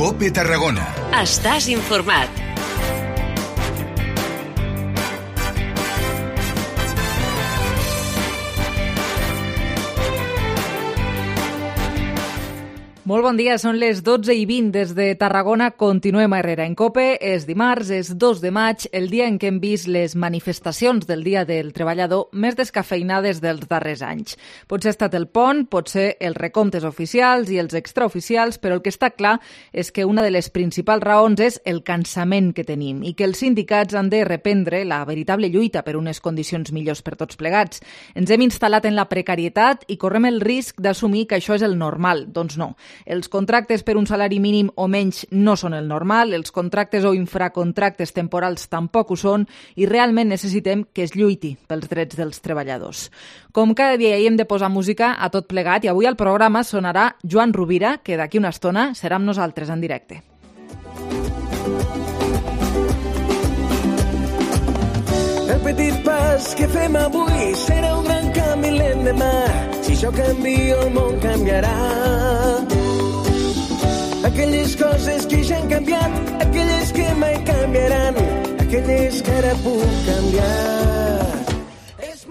COPE Tarragona. Estàs informat. Molt bon dia, són les 12:20 des de Tarragona. Continuem a Herrera en COPE. És dimarts, és 2 de maig, el dia en què hem vist les manifestacions del Dia del Treballador més descafeinades dels darrers anys. Potser ha estat el pont, potser els recomptes oficials i els extraoficials, però el que està clar és que una de les principals raons és el cansament que tenim i que els sindicats han de reprendre la veritable lluita per unes condicions millors per tots plegats. Ens hem instal·lat en la precarietat i correm el risc d'assumir que això és el normal. Doncs no. Els contractes per un salari mínim o menys no són el normal, els contractes o infracontractes temporals tampoc ho són i realment necessitem que es lluiti pels drets dels treballadors. Com cada dia hi hem de posar música a tot plegat i avui al programa sonarà Joan Rovira, que d'aquí una estona serà amb nosaltres en directe. El petit pas que fem avui serà un gran canvi l'endemà. Si jo canvio, el món canviarà. Aquelles coses que ja han canviat, aquelles que mai canviaran, aquelles que ara puc canviar.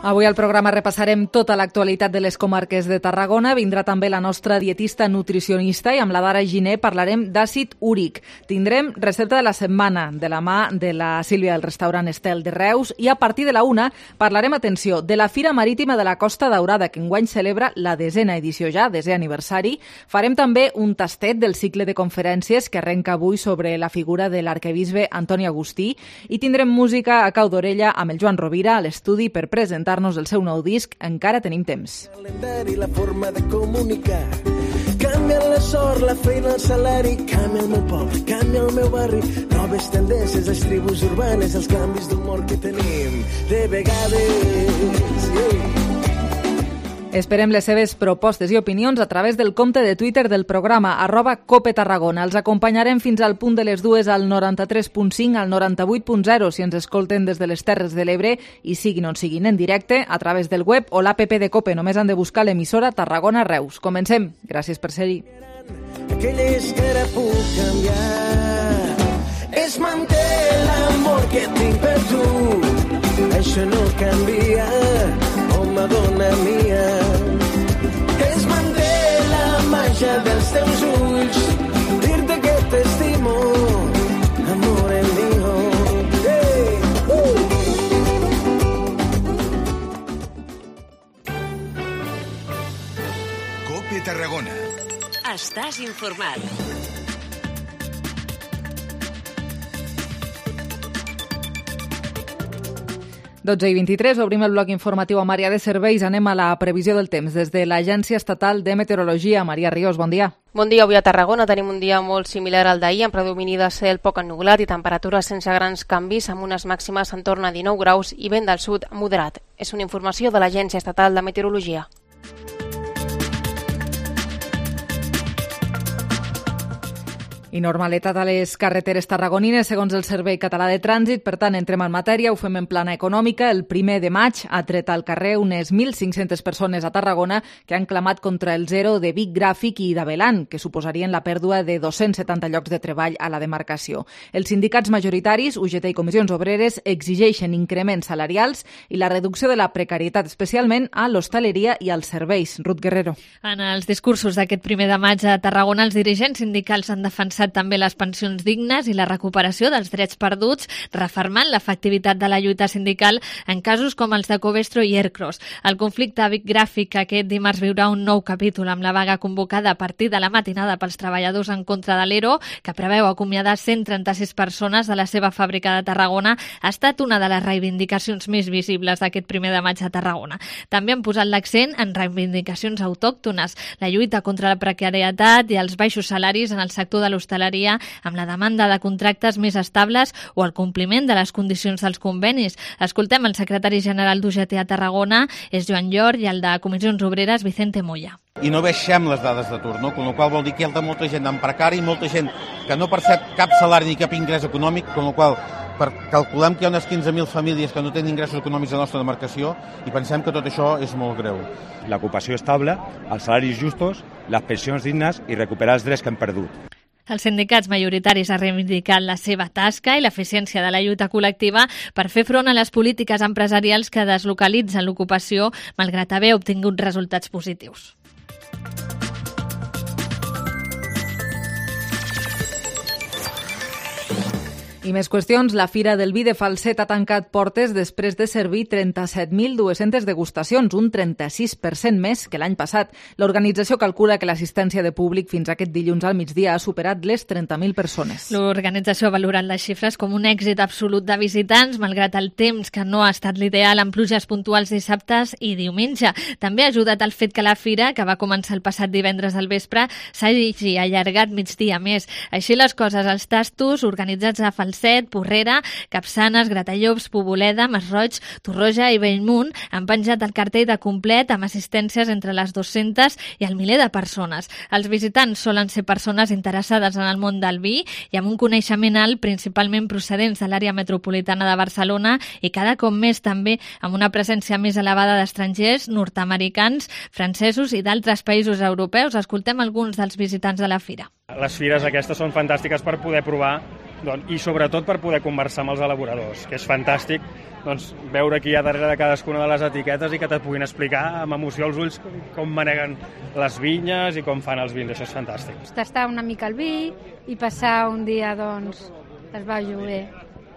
Avui al programa repassarem tota l'actualitat de les comarques de Tarragona. Vindrà també la nostra dietista nutricionista i amb la Dara Giner parlarem d'àcid úric. Tindrem recepta de la setmana de la mà de la Sílvia del restaurant Estel de Reus i a partir de la 1 parlarem, atenció, de la Fira Marítima de la Costa Daurada, que enguany celebra la 10a edició ja, 10è aniversari. Farem també un tastet del cicle de conferències que arrenca avui sobre la figura de l'arquebisbe Antoni Agustí i tindrem música a cau d'orella amb el Joan Rovira a l'estudi per presentar el seu nou disc. Encara tenim temps. La forma de comunicar. Canvia la sort, la feina, el salari, canvia el meu poble, canvia el meu barri, noves tendències, les tribus urbanes, els canvis d'humor que tenim de vegades. Esperem les seves propostes i opinions a través del compte de Twitter del programa @COPETarragona. Els acompanyarem fins al punt de les 2 al 93.5, al 98.0 si ens escolten des de les Terres de l'Ebre i siguin on siguin en directe a través del web o l'APP de COPE. Només han de buscar l'emissora Tarragona Reus. Comencem. Gràcies per ser-hi. Aquelles que ara puc canviar es manté l'amor que tinc per tu. Això no canvia. Madonna mia, es manté la màgia dels teus ulls, dir-te que t'estimo, amore mio. Hey! COPE Tarragona. Estàs informat. i 23, obrim el bloc informatiu amb àrea de serveis. Anem a la previsió del temps des de l'Agència Estatal de Meteorologia. Maria Ríos, bon dia. Bon dia. Avui a Tarragona tenim un dia molt similar al d'ahir, amb predomini de cel poc ennubulat i temperatures sense grans canvis, amb unes màximes en torn a 19 graus i vent del sud moderat. És una informació de l'Agència Estatal de Meteorologia. I normalitat a les carreteres tarragonines, segons el Servei Català de Trànsit. Per tant, entrem en matèria, ho fem en plana econòmica. El 1 de maig ha tret al carrer unes 1.500 persones a Tarragona que han clamat contra el zero de Vic Gràfic i d'Avelan, que suposarien la pèrdua de 270 llocs de treball a la demarcació. Els sindicats majoritaris, UGT i Comissions Obreres, exigeixen increments salarials i la reducció de la precarietat, especialment a l'hostaleria i als serveis. Ruth Guerrero. En els discursos d'aquest 1 de maig a Tarragona, els dirigents sindicals han defensat també les pensions dignes i la recuperació dels drets perduts, refermant l'efectivitat de la lluita sindical en casos com els de Covestro i Ercros. El conflicte a Vic Gràfic aquest dimarts viurà un nou capítol amb la vaga convocada a partir de la matinada pels treballadors en contra de l'ERO, que preveu acomiadar 136 persones de la seva fàbrica de Tarragona. Ha estat una de les reivindicacions més visibles d'aquest 1 de maig a Tarragona. També han posat l'accent en reivindicacions autòctones, la lluita contra la precarietat i els baixos salaris en el sector de l'hostaleria, amb la demanda de contractes més estables o el compliment de les condicions dels convenis. Escoltem el secretari general d'UGT a Tarragona, és Joan Llor, i el de Comissions Obreres, Vicente Moya. I no baixem les dades d'atur, no? Con la qual vol dir que hi ha molta gent en precari, molta gent que no percep cap salari ni cap ingrés econòmic, con la qual calculem que hi ha unes 15.000 famílies que no tenen ingressos econòmics a la nostra demarcació i pensem que tot això és molt greu. L'ocupació estable, els salaris justos, les pensions dignes i recuperar els drets que hem perdut. Els sindicats majoritaris han reivindicat la seva tasca i l'eficiència de la lluita col·lectiva per fer front a les polítiques empresarials que deslocalitzen l'ocupació, malgrat haver obtingut resultats positius. I més qüestions. La Fira del Vi de Falset ha tancat portes després de servir 37.200 degustacions, un 36% més que l'any passat. L'organització calcula que l'assistència de públic fins aquest dilluns al migdia ha superat les 30.000 persones. L'organització ha valorat les xifres com un èxit absolut de visitants, malgrat el temps que no ha estat l'ideal amb pluges puntuals dissabtes i diumenge. També ha ajudat el fet que la fira, que va començar el passat divendres al vespre, s'hagi allargat migdia més. Així les coses, els tastos organitzats a Falset, Porrera, Capçanes, Gratallops, Poboleda, Masroig, Torroja i Bellmunt han penjat el cartell de complet amb assistències entre les 200 i el miler de persones. Els visitants solen ser persones interessades en el món del vi i amb un coneixement alt, principalment procedents de l'àrea metropolitana de Barcelona i cada cop més també amb una presència més elevada d'estrangers, nord-americans, francesos i d'altres països europeus. Escoltem alguns dels visitants de la fira. Les fires aquestes són fantàstiques per poder provar i sobretot per poder conversar amb els elaboradors, que és fantàstic veure qui hi ha darrere de cadascuna de les etiquetes i que te puguin explicar amb emoció als ulls com maneguen les vinyes i com fan els vins. Això és fantàstic. Tastar una mica el vi i passar un dia, es va bé,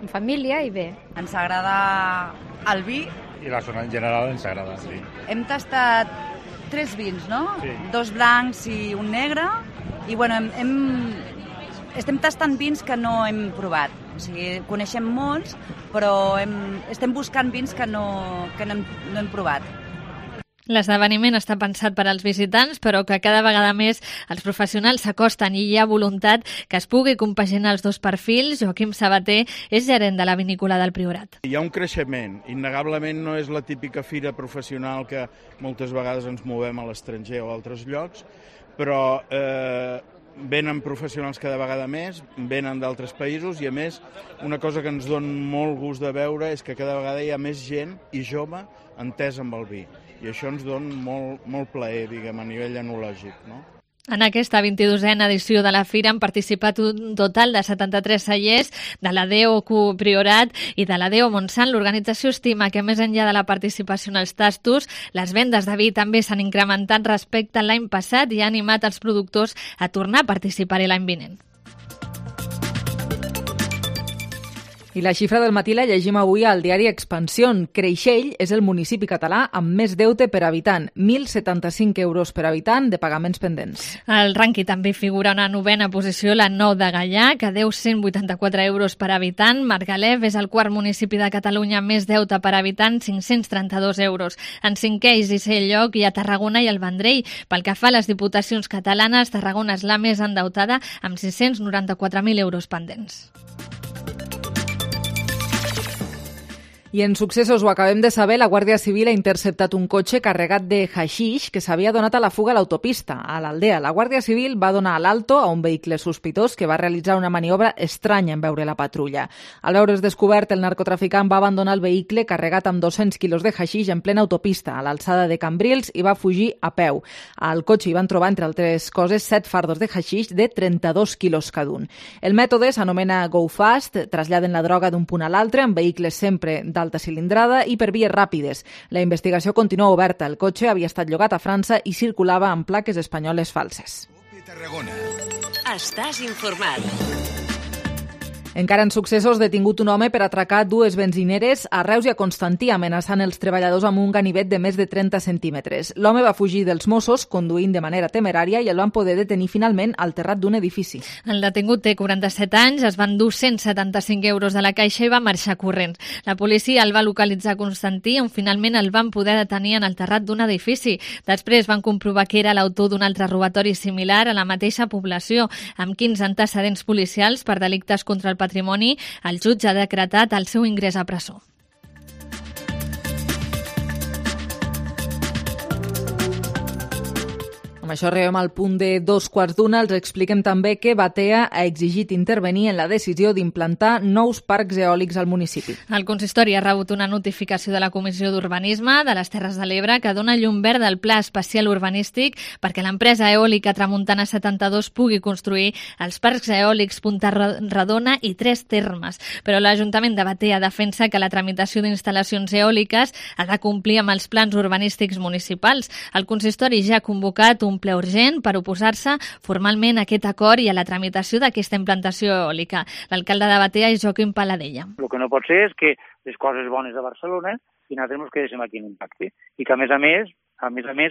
en família i bé. Ens agrada el vi. I la zona en general ens agrada, sí. Hem tastat 3 vins, no? Sí. 2 blancs i un negre. I bueno, estem tastant vins que no hem provat. O sigui, coneixem molts, però estem buscant vins que no hem provat. L'esdeveniment està pensat per als visitants, però que cada vegada més els professionals s'acosten i hi ha voluntat que es pugui compaginar els dos perfils. Joaquim Sabater és gerent de la vinícola del Priorat. Hi ha un creixement. Innegablement no és la típica fira professional que moltes vegades ens movem a l'estranger o a altres llocs, però venen professionals cada vegada més, venen d'altres països i, a més, una cosa que ens dona molt gust de veure és que cada vegada hi ha més gent i jove entesa amb el vi. I això ens dona molt plaer, diguem, a nivell enològic, no? En aquesta 22a edició de la fira han participat un total de 73 cellers de la DEO Priorat i de la DEO Montsant. L'organització estima que més enllà de la participació en els tastos, les vendes de vi també s'han incrementat respecte a l'any passat i ha animat els productors a tornar a participar-hi l'any vinent. I la xifra del matí la llegim avui al diari Expansión. Creixell és el municipi català amb més deute per habitant, 1.075 euros per habitant de pagaments pendents. Al rànquing també figura una novena posició la Nou de Gaià, que deu 184 euros per habitant. Margalef és el quart municipi de Catalunya amb més deute per habitant, 532 euros. En cinquè i sisè lloc hi ha Tarragona i el Vendrell. Pel que fa a les diputacions catalanes, Tarragona és la més endeutada amb 694.000 euros pendents. I en successos, ho acabem de saber, la Guàrdia Civil ha interceptat un cotxe carregat de haixix que s'havia donat a la fuga a l'autopista, a l'Aldea. La Guàrdia Civil va donar l'alto a un vehicle sospitós que va realitzar una maniobra estranya en veure la patrulla. Al veure's descobert, el narcotraficant va abandonar el vehicle carregat amb 200 quilos de haixix en plena autopista, a l'alçada de Cambrils, i va fugir a peu. Al cotxe hi van trobar, entre altres coses, 7 fardos de haixix de 32 quilos cada un. El mètode s'anomena Go Fast, traslladen la droga d'un punt a l'altre, en vehicles sempre d'alta cilindrada i per vies ràpides. La investigació continua oberta. El cotxe havia estat llogat a França i circulava amb plaques espanyoles falses. Estàs informat. Encara en successos, detingut un home per atracar 2 benzineres a Reus i a Constantí, amenaçant els treballadors amb un ganivet de més de 30 centímetres. L'home va fugir dels Mossos, conduint de manera temerària, i el van poder detenir finalment al terrat d'un edifici. El detingut té 47 anys, es van dur 175 euros de la caixa i va marxar corrents. La policia el va localitzar a Constantí, on finalment el van poder detenir en el terrat d'un edifici. Després van comprovar que era l'autor d'un altre robatori similar a la mateixa població, amb 15 antecedents policials per delictes contra el patrimoni. El jutge ha decretat el seu ingrés a presó. Amb Amb això arribem al punt de 2:15. Els expliquem també que Batea ha exigit intervenir en la decisió d'implantar nous parcs eòlics al municipi. El consistori ha rebut una notificació de la Comissió d'Urbanisme de les Terres de l'Ebre que dona llum verda al Pla Especial Urbanístic perquè l'empresa eòlica Tramuntana 72 pugui construir els parcs eòlics Punta Redona i 3 termes. Però l'Ajuntament de Batea defensa que la tramitació d'instal·lacions eòliques ha de complir amb els plans urbanístics municipals. El consistori ja ha convocat un ple urgent per oposar-se formalment a aquest acord i a la tramitació d'aquesta implantació eòlica. L'alcalde de Batea és Joaquim Paladella. El que no pot ser és que les coses bones de Barcelona i nosaltres ens quedéssim aquí en impacte. I que, a més a més,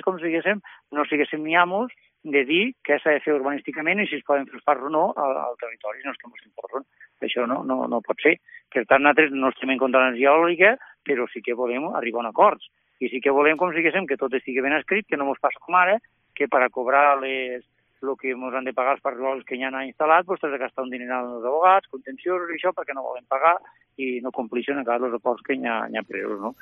com siguéssim, no siguéssim ni amos de dir què s'ha de fer urbanísticament i si es poden fer els parcs o no al territori, no és que ens imposen. Això no pot ser. Per tant, nosaltres no estem en contra de l'energia eòlica, però sí que volem arribar a acords. I sí que volem, com siguéssim, que tot estigui ben escrit, que no ens passa com ara, que per a cobrar el que ens han de pagar els parcs eòlics que ja han instal·lat, doncs has de gastar un diner als advocats, contenciosos i això, perquè no volen pagar i no compleixen encara els acords que hi ha presos, no?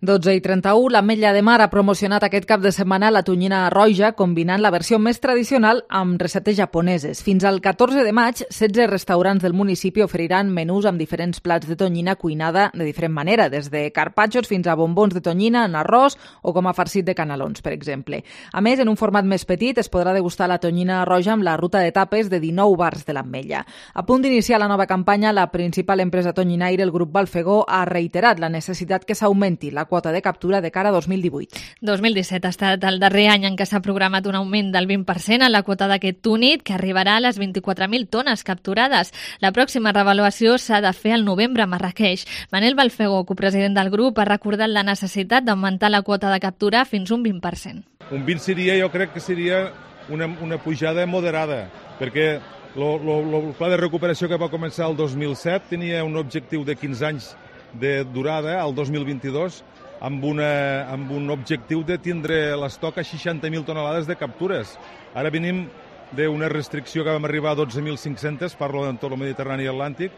12:31, l'Ametlla de Mar ha promocionat aquest cap de setmana la tonyina roja, combinant la versió més tradicional amb receptes japoneses. Fins al 14 de maig, 16 restaurants del municipi oferiran menús amb diferents plats de tonyina cuinada de diferent manera, des de carpaccios fins a bombons de tonyina en arròs o com a farcit de canelons, per exemple. A més, en un format més petit es podrà degustar la tonyina roja amb la ruta de tapes de 19 bars de l'Ametlla. A punt d'iniciar la nova campanya, la principal empresa tonyinaire, el grup Balfegó, ha reiterat la necessitat que s'augmenti la quota de captura de cara a 2018. 2017 ha estat el darrer any en què s'ha programat un augment del 20% en la quota d'aquest túnid, que arribarà a les 24.000 tones capturades. La pròxima revaluació s'ha de fer al novembre a Marrakeix. Manel Balfegó, copresident del grup, ha recordat la necessitat d'augmentar la quota de captura fins un 20%. Un 20 jo crec que seria una pujada moderada, perquè el pla de recuperació que va començar el 2007 tenia un objectiu de 15 anys de durada al 2022 amb un objectiu de tindre l'estoc a 60.000 tonelades de captures. Ara venim d'una restricció que vam arribar a 12.500, parlo de tot el Mediterrani i Atlàntic,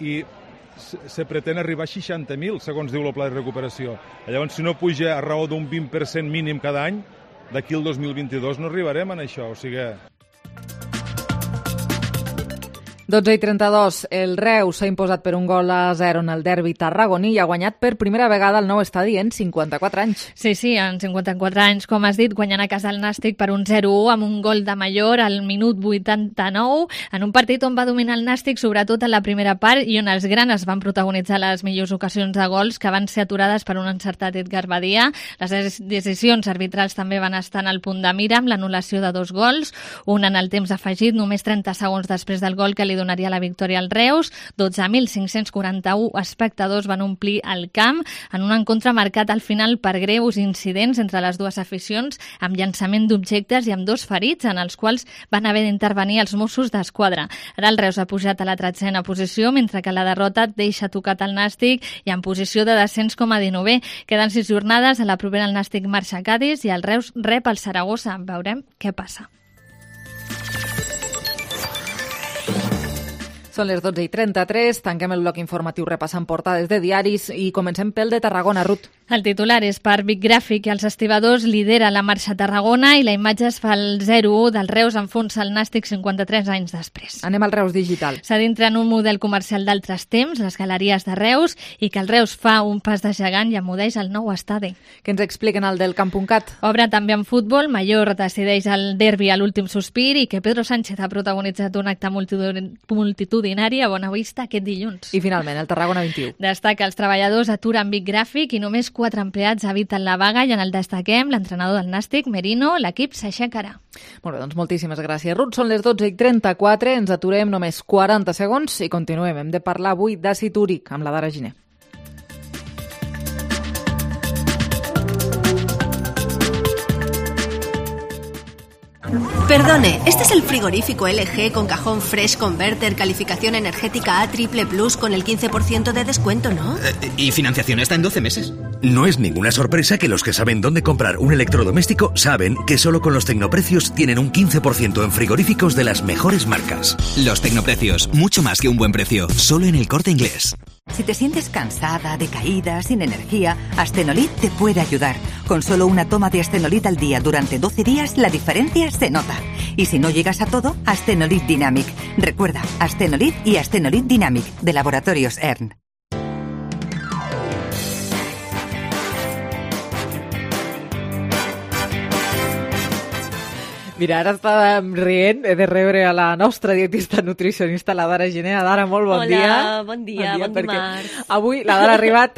i se pretén arribar a 60.000, segons diu el pla de recuperació. Llavors, si no puja a raó d'un 20% mínim cada any, d'aquí al 2022 no arribarem a això, o sigui... 12:32, el Reus s'ha imposat per 1-0 en el derbi tarragoní i ha guanyat per primera vegada el nou estadi en 54 anys. Sí, en 54 anys, com has dit, guanyant a casa el Nàstic per un 0-1 amb un gol de Mallor al minut 89, en un partit on va dominar el Nàstic, sobretot en la primera part, i on els granes van protagonitzar les millors ocasions de gols que van ser aturades per un encertat Edgar Badia. Les decisions arbitrals també van estar en el punt de mira amb l'anul·lació de 2 gols, un en el temps afegit, només 30 segons després del gol que li donaria la victòria al Reus. 12.541 espectadors van omplir el camp en un encontre marcat al final per greus incidents entre les dues aficions, amb llançament d'objectes i amb 2 ferits, en els quals van haver d'intervenir els Mossos d'Esquadra. Ara el Reus ha pujat a la 13a posició, mentre que la derrota deixa tocat el Nàstic i en posició de descens com a 19è. Queden 6 jornades, a la propera el Nàstic marxa a Cádiz i el Reus rep el Saragossa. Veurem què passa. Són les 12:33, tanquem el bloc informatiu repassant portades de diaris i comencem pel de Tarragona, Ruth. El titular és per Vic Gràfic i els estibadors lidera la marxa a Tarragona i la imatge es fa el 0-1 del Reus enfonsa el Nàstic 53 anys després. Anem al Reus Digital. S'ha d'entrar en un model comercial d'altres temps, les galeries de Reus, i que el Reus fa un pas de gegant i emudeix el nou estadi. Què ens expliquen el del Camp.cat? Obre també en futbol, Mallor decideix el derbi a l'últim sospir i que Pedro Sánchez ha protagonitzat un acte multitudinari a Bonavista aquest dilluns. I finalment, el Tarragona 21. Destaca els treballadors aturen Vic Gràfic i només 4 empleats eviten la vaga i en el destaquem l'entrenador del Nàstic, Merino, l'equip s'aixecarà. Molt bé, doncs moltíssimes gràcies, Ruth. Són les 12:34, ens aturem només 40 segons i continuem. Hem de parlar avui d'àcid úric amb la Dara Giner. Perdone, ¿este es el frigorífico LG con cajón Fresh Converter, calificación energética A++ con el 15% de descuento, no? Y financiación está en 12 meses. No es ninguna sorpresa que los que saben dónde comprar un electrodoméstico saben que solo con los tecnoprecios tienen un 15% en frigoríficos de las mejores marcas. Los tecnoprecios, mucho más que un buen precio, solo en El Corte Inglés. Si te sientes cansada, decaída, sin energía, Astenolit te puede ayudar. Con solo una toma de Astenolit al día durante 12 días, la diferencia se nota. Y si no llegas a todo, Astenolit Dynamic. Recuerda, Astenolit y Astenolit Dynamic, de Laboratorios ERN. Mira, ara estàvem rient, he de rebre a la nostra dietista nutricionista, la Dara Gené. Dara, molt bon dia. Hola, bon dia, bon dimarts. Avui la Dara ha arribat,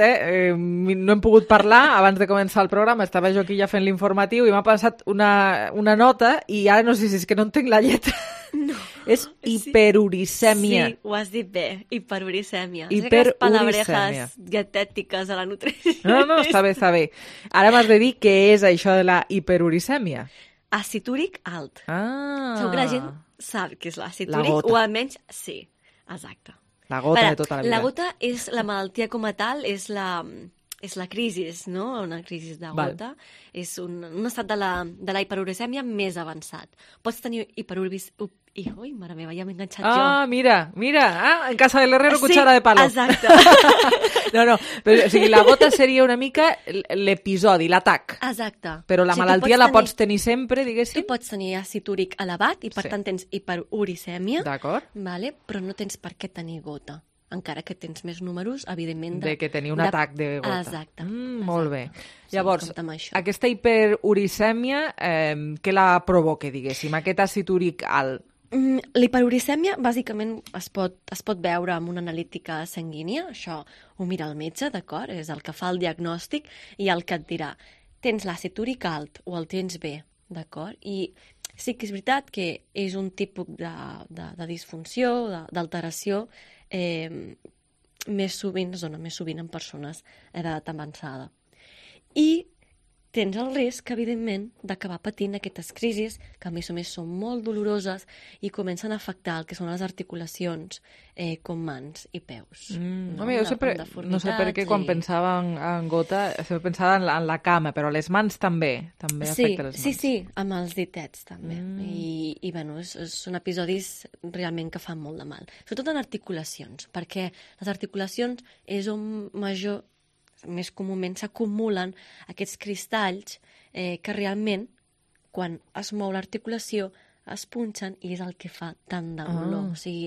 no hem pogut parlar abans de començar el programa, estava jo aquí ja fent l'informatiu i m'ha passat una nota i ara no sé si és que no entenc la lletra. No. És hiperuricèmia. Sí, ho has dit bé, hiperuricèmia. Hiperuricèmia. Palabrejas dietètiques a la nutrició. No, està bé, està bé. Ara m'has de dir què és això de la hiperuricèmia. Àcid úric alt. Segur que la gent sap què és l'àcid La úric, gota. o almenys sí, exacte. La gota de tota la vida. La gota és la malaltia com a tal, és la crisi, no? Una crisi de gota. És un estat de la hiperuricèmia més avançat. Pots tenir hiperuricèmia... Ui, mare meva, ja m'he enganxat jo. Mira. En casa del herrero, cuchara de palo. Exacte. No, però o sigui, la gota seria una mica l'episodi, l'atac. Exacte. Però la malaltia la pots tenir sempre, diguéssim? Tu pots tenir àcid úric elevat i, per tant, tens hiperuricèmia. D'acord. Vale? Però no tens per què tenir gota. Encara que tens més números, evidentment... De que tenir un atac de gota. Exacte. Molt bé. Sí, llavors, aquesta hiperuricèmia, què la provoca, diguéssim? Aquest àcid úric alt? L'hiperuricèmia, bàsicament, es pot veure amb una analítica sanguínia. Això ho mira el metge, d'acord? És el que fa el diagnòstic i el que et dirà tens l'àcid úric alt o el tens bé, d'acord? I sí que és veritat que és un tipus de disfunció, d'alteració, es dona més sovint en persones d'edat avançada. I tens el risc, evidentment, d'acabar patint aquestes crisis, que a més són molt doloroses i comencen a afectar el que són les articulacions, com mans i peus. Jo sempre, no sé per què, quan pensava en gota, sempre pensava en la cama, però les mans també afecten les mans. Sí, amb els ditets també. I bueno, són episodis realment que fan molt de mal. Sobretot en articulacions, perquè les articulacions és on més comúment s'acumulen aquests cristalls que realment, quan es mou l'articulació, es punxen i és el que fa tant de dolor. O sigui,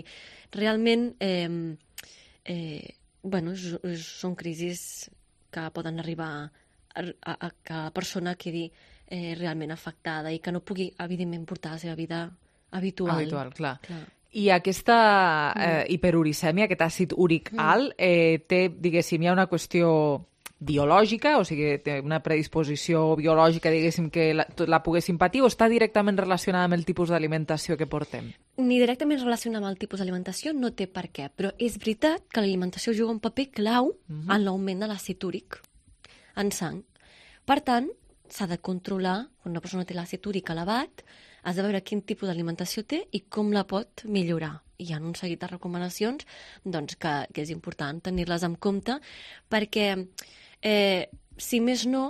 realment, són crisis que poden arribar a que la persona quedi realment afectada i que no pugui, evidentment, portar la seva vida habitual. Habitual, clar. I aquesta hiperuricèmia, aquest àcid úric alt, té, diguéssim, hi ha una qüestió biològica, o sigui, té una predisposició biològica, diguéssim, que la poguéssim patir, o està directament relacionada amb el tipus d'alimentació que portem? Ni directament relacionada amb el tipus d'alimentació, no té per què, però és veritat que l'alimentació juga un paper clau en l'augment de l'àcid úric en sang. Per tant, s'ha de controlar, quan una persona té l'àcid úric elevat, has de veure quin tipus d'alimentació té i com la pot millorar. Hi ha un seguit de recomanacions que és important tenir-les en compte perquè, si més no,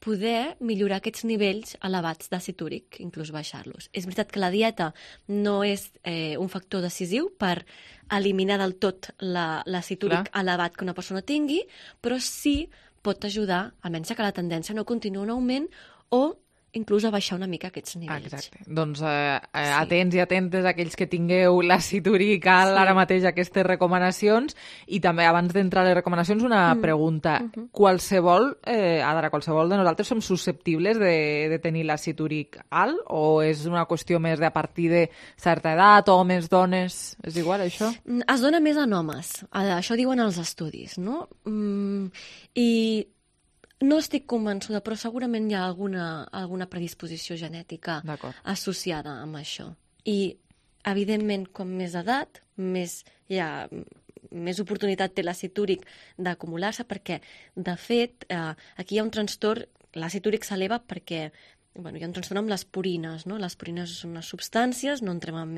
poder millorar aquests nivells elevats d'àcid úric, inclús baixar-los. És veritat que la dieta no és un factor decisiu per eliminar del tot l'àcid úric elevat que una persona tingui, però sí pot ajudar, almenys que la tendència no continua en augment o inclús a baixar una mica aquests nivells. Exacte. Doncs atents i atentes aquells que tingueu l'àcid úric alt ara mateix aquestes recomanacions. I també, abans d'entrar a les recomanacions, una pregunta. Qualsevol de nosaltres som susceptibles de tenir l'àcid úric alt o és una qüestió més de a partir de certa edat, homes, dones? És igual, això? Es dona més en homes. Això diuen els estudis, no? I no estic convençuda, però segurament hi ha alguna predisposició genètica associada amb això. I, evidentment, com més edat, més oportunitat té l'àcid úric d'acumular-se, perquè, de fet, aquí hi ha un trastorn, l'àcid úric s'eleva perquè hi ha un trastorn amb les purines, no? Les purines són unes substàncies, no entrem en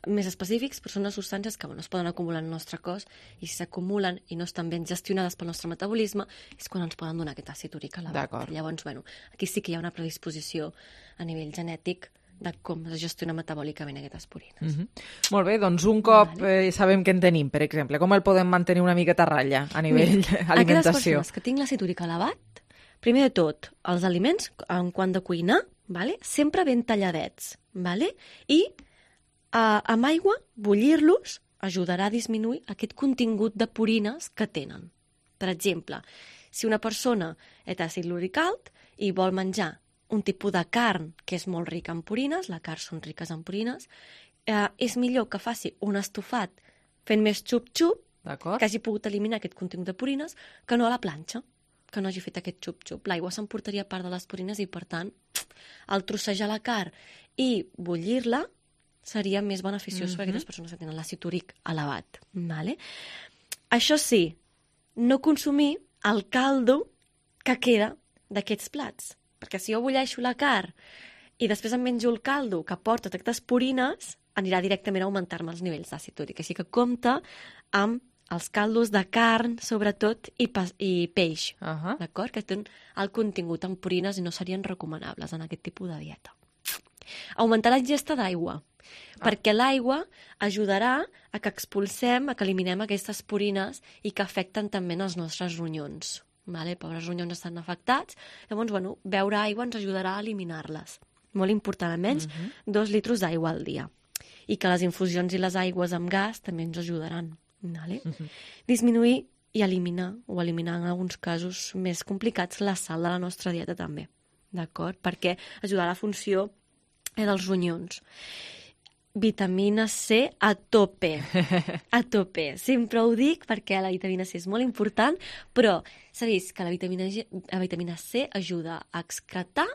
més específics, però són unes substàncies que es poden acumular en el nostre cos i si s'acumulen i no estan ben gestionades pel nostre metabolisme és quan ens poden donar aquest àcid úric elevat. Llavors, aquí sí que hi ha una predisposició a nivell genètic de com es gestiona metabòlicament aquestes purines. Molt bé, doncs un cop sabem què en tenim, per exemple, com el podem mantenir una miqueta a ratlla a nivell alimentació? Aquelles persones que tinguin l'àcid úric elevat, primer de tot, els aliments, en quant de cuinar, sempre ben talladets, i amb aigua, bullir-los ajudarà a disminuir aquest contingut de purines que tenen. Per exemple, si una persona té àcid úric alt i vol menjar un tipus de carn que és molt rica en purines, les carns són riques en purines, és millor que faci un estofat fent més xup-xup, que hagi pogut eliminar aquest contingut de purines, que no a la planxa, que no hagi fet aquest xup-xup. L'aigua s'emportaria part de les purines i, per tant, el trossejar la carn i bullir-la seria més beneficiós per a aquestes persones que tenen l'àcid úric elevat. Això sí, no consumir el caldo que queda d'aquests plats. Perquè si jo bulleixo la carn i després em menjo el caldo que porta aquestes purines, anirà directament a augmentar-me els nivells d'àcid úric. Així que compte amb els caldos de carn, sobretot, i peix, d'acord? Que tenen el contingut en purines i no serien recomanables en aquest tipus de dieta. Augmentar la ingesta d'aigua, perquè l'aigua ajudarà a que expulsem, a que eliminem aquestes purines i que afecten també els nostres ronyons. Pobres ronyons estan afectats, llavors, beure aigua ens ajudarà a eliminar-les. Molt important, almenys 2 litres d'aigua al dia. I que les infusions i les aigües amb gas també ens ajudaran. Disminuir i eliminar, o eliminar en alguns casos més complicats, la sal de la nostra dieta també, d'acord? Perquè ajudarà a la funció dels ronyons. Vitamina C a tope. A tope. Sempre ho dic perquè la vitamina C és molt important, però s'ha vist que la vitamina C ajuda a excretar,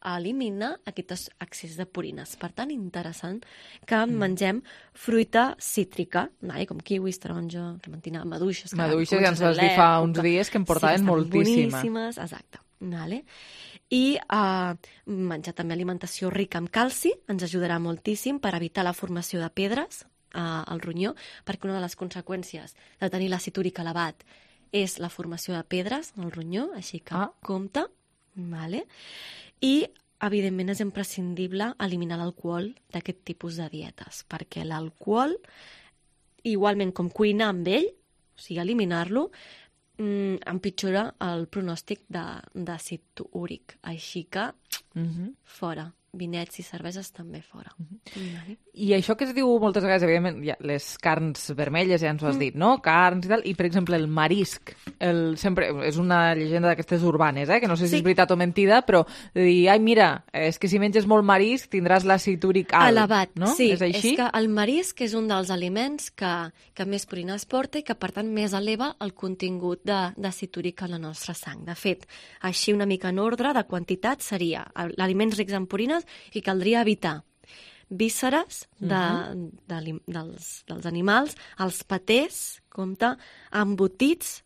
a eliminar aquest excés de purines. Per tant, interessant que mengem fruita cítrica, com kiwis, taronja, clementina, maduixes. Maduixes, ja ens vas dir fa uns dies que en portaven moltíssima. Boníssimes, exacte. I menjar també alimentació rica en calci ens ajudarà moltíssim per evitar la formació de pedres al ronyó, perquè una de les conseqüències de tenir l'àcid úric elevat és la formació de pedres al ronyó, així que compte. I, evidentment, és imprescindible eliminar l'alcohol d'aquest tipus de dietes, perquè l'alcohol, igualment com cuinar amb ell, o sigui, eliminar-lo, empitjora el pronòstic d'àcid úric. Així que, fora. Vinets i cerveses també fora. I això que es diu moltes vegades, evidentment, les carns vermelles, ja ens ho has dit, no? Carns i tal, i per exemple el marisc, sempre és una llegenda d'aquestes urbanes, que no sé si és veritat o mentida, però de dir, ai, mira, és que si menges molt marisc tindràs l'àcid úric alt. Elevat, no? Sí. És així? És que el marisc és un dels aliments que més purines porta i que, per tant, més eleva el contingut d'àcid úric a la nostra sang. De fet, així una mica en ordre de quantitat seria aliments rics en purines i caldria evitar vísceres dels animals, els patés, compte, embotits,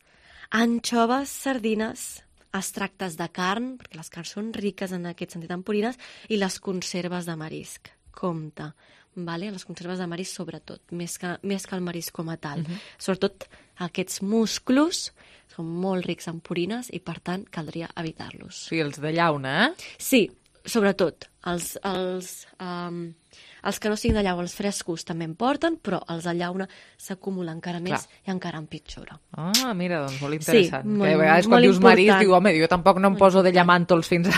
anxoves, sardines, extractes de carn, perquè les carns són riques en aquest sentit en purines, i les conserves de marisc. Compte, les conserves de marisc sobretot, més que el marisc com a tal. Sobretot aquests musclos són molt rics en purines i, per tant, caldria evitar-los. Sí, els de llauna, Sí, sobretot. Els que no siguin de llauna, els frescos també en porten, però els de llauna s'acumulen encara més i encara empitjora. Ah, mira, doncs molt interessant. Sí, que a vegades quan dius marisc, diu, home, jo tampoc no em poso de llamàntols fins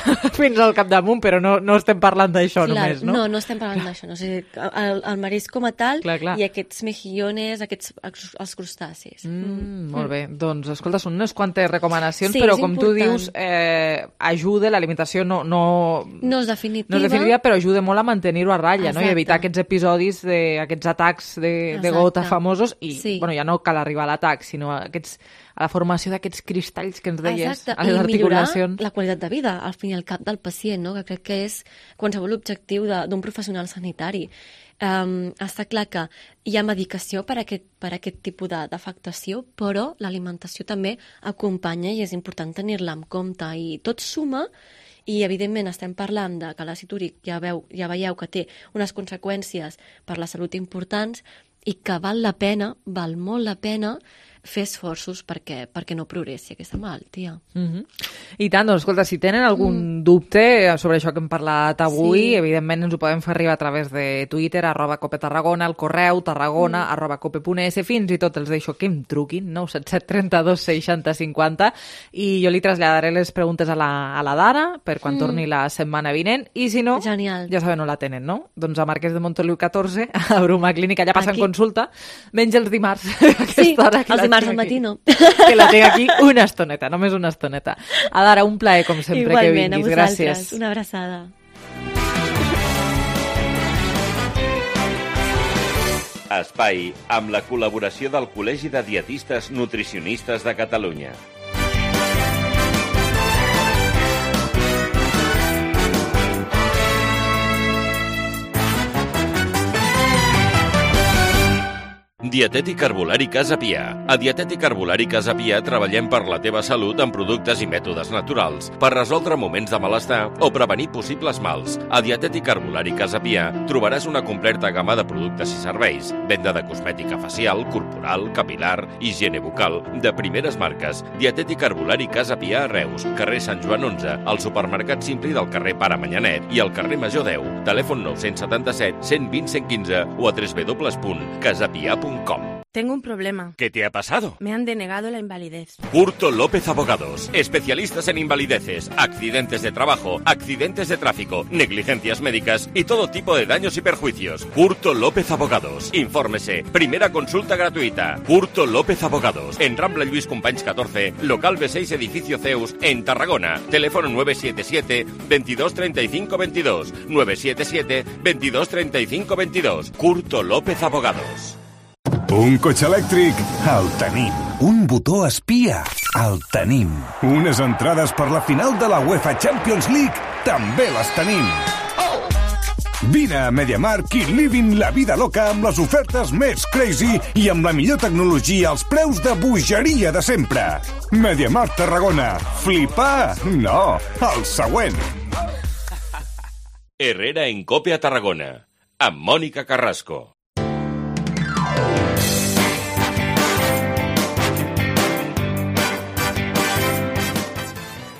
al capdamunt, però no estem parlant d'això només, no? No estem parlant d'això. O sigui, el marisc com a tal i aquests mejillones, els crustacis. Molt bé. Doncs, escolta, són unes quantes recomanacions, però com tu dius, ajuda, l'alimentació no és definitiva, però ajuda molt a mantenir-ho a ratlla, no? I evitar aquests episodis, aquests atacs de gota famosos i, ja no cal arribar a l'atac, sinó a la formació d'aquests cristalls que ens deies a les articulacions. I millorar la qualitat de vida, al fin i al cap del pacient, no? Que crec que és qualsevol objectiu d'un professional sanitari. Està clar que hi ha medicació per a aquest tipus d'afectació, però l'alimentació també acompanya i és important tenir-la en compte i tot suma. I, evidentment, estem parlant de que l'àcid úric ja veieu que té unes conseqüències per la salut importants i que val molt la pena fer esforços perquè no progressi aquesta malaltia. I tant, doncs escolta, si tenen algun dubte sobre això que hem parlat avui, evidentment ens ho podem fer arribar a través de Twitter, @copetarragona, el correu tarragona@cope.es, fins i tot els deixo que em truquin, 977 32 60 50, i jo li traslladaré les preguntes a la Dara per quan torni la setmana vinent, i si no, genial, ja saben on la tenen, no? Doncs a Marquès de Montoliu 14, a Bruma Clínica, allà passen consulta, menys els dimarts. Sí, els dimarts al matí no. Que la tinc aquí una estoneta, només una estoneta. Adara, un plaer, com sempre, igualment, que vinguis. Gràcies. Una abraçada. Espai amb la col·laboració del Col·legi de Dietistes Nutricionistes de Catalunya. Dietètic Herbolari Casa Pia. A Dietètic Herbolari Casa Pia treballem per la teva salut amb productes i mètodes naturals, per resoldre moments de malestar o prevenir possibles mals. A Dietètic Herbolari Casa Pia trobaràs una completa gamma de productes i serveis, venda de cosmètica facial, corporal, capilar, higiene bucal, de primeres marques. Dietètic Herbolari Casa Pia a Reus, carrer Sant Joan 11, al supermercat Simpli del carrer Pare Manyanet i al carrer Major 10. Telèfon 977 120 115 o a www.casapia.com. Tengo un problema. ¿Qué te ha pasado? Me han denegado la invalidez. Curto López Abogados, especialistas en invalideces, accidentes de trabajo, accidentes de tráfico, negligencias médicas y todo tipo de daños y perjuicios. Curto López Abogados. Infórmese. Primera consulta gratuita. Curto López Abogados. En Rambla Lluís Companys 14, local B6, edificio Zeus, en Tarragona. Teléfono 977 22 35 22. 977 22 35 22. Curto López Abogados. Un cotxe elèctric? El tenim. Un botó espia? El tenim. Unes entrades per la final de la UEFA Champions League? També les tenim. Vine a MediaMarkt i livin la vida loca amb les ofertes més crazy i amb la millor tecnologia als preus de bogeria de sempre. MediaMarkt Tarragona. Flipar? No, el següent. Herrera en Cope a Tarragona, amb Mònica Carrasco.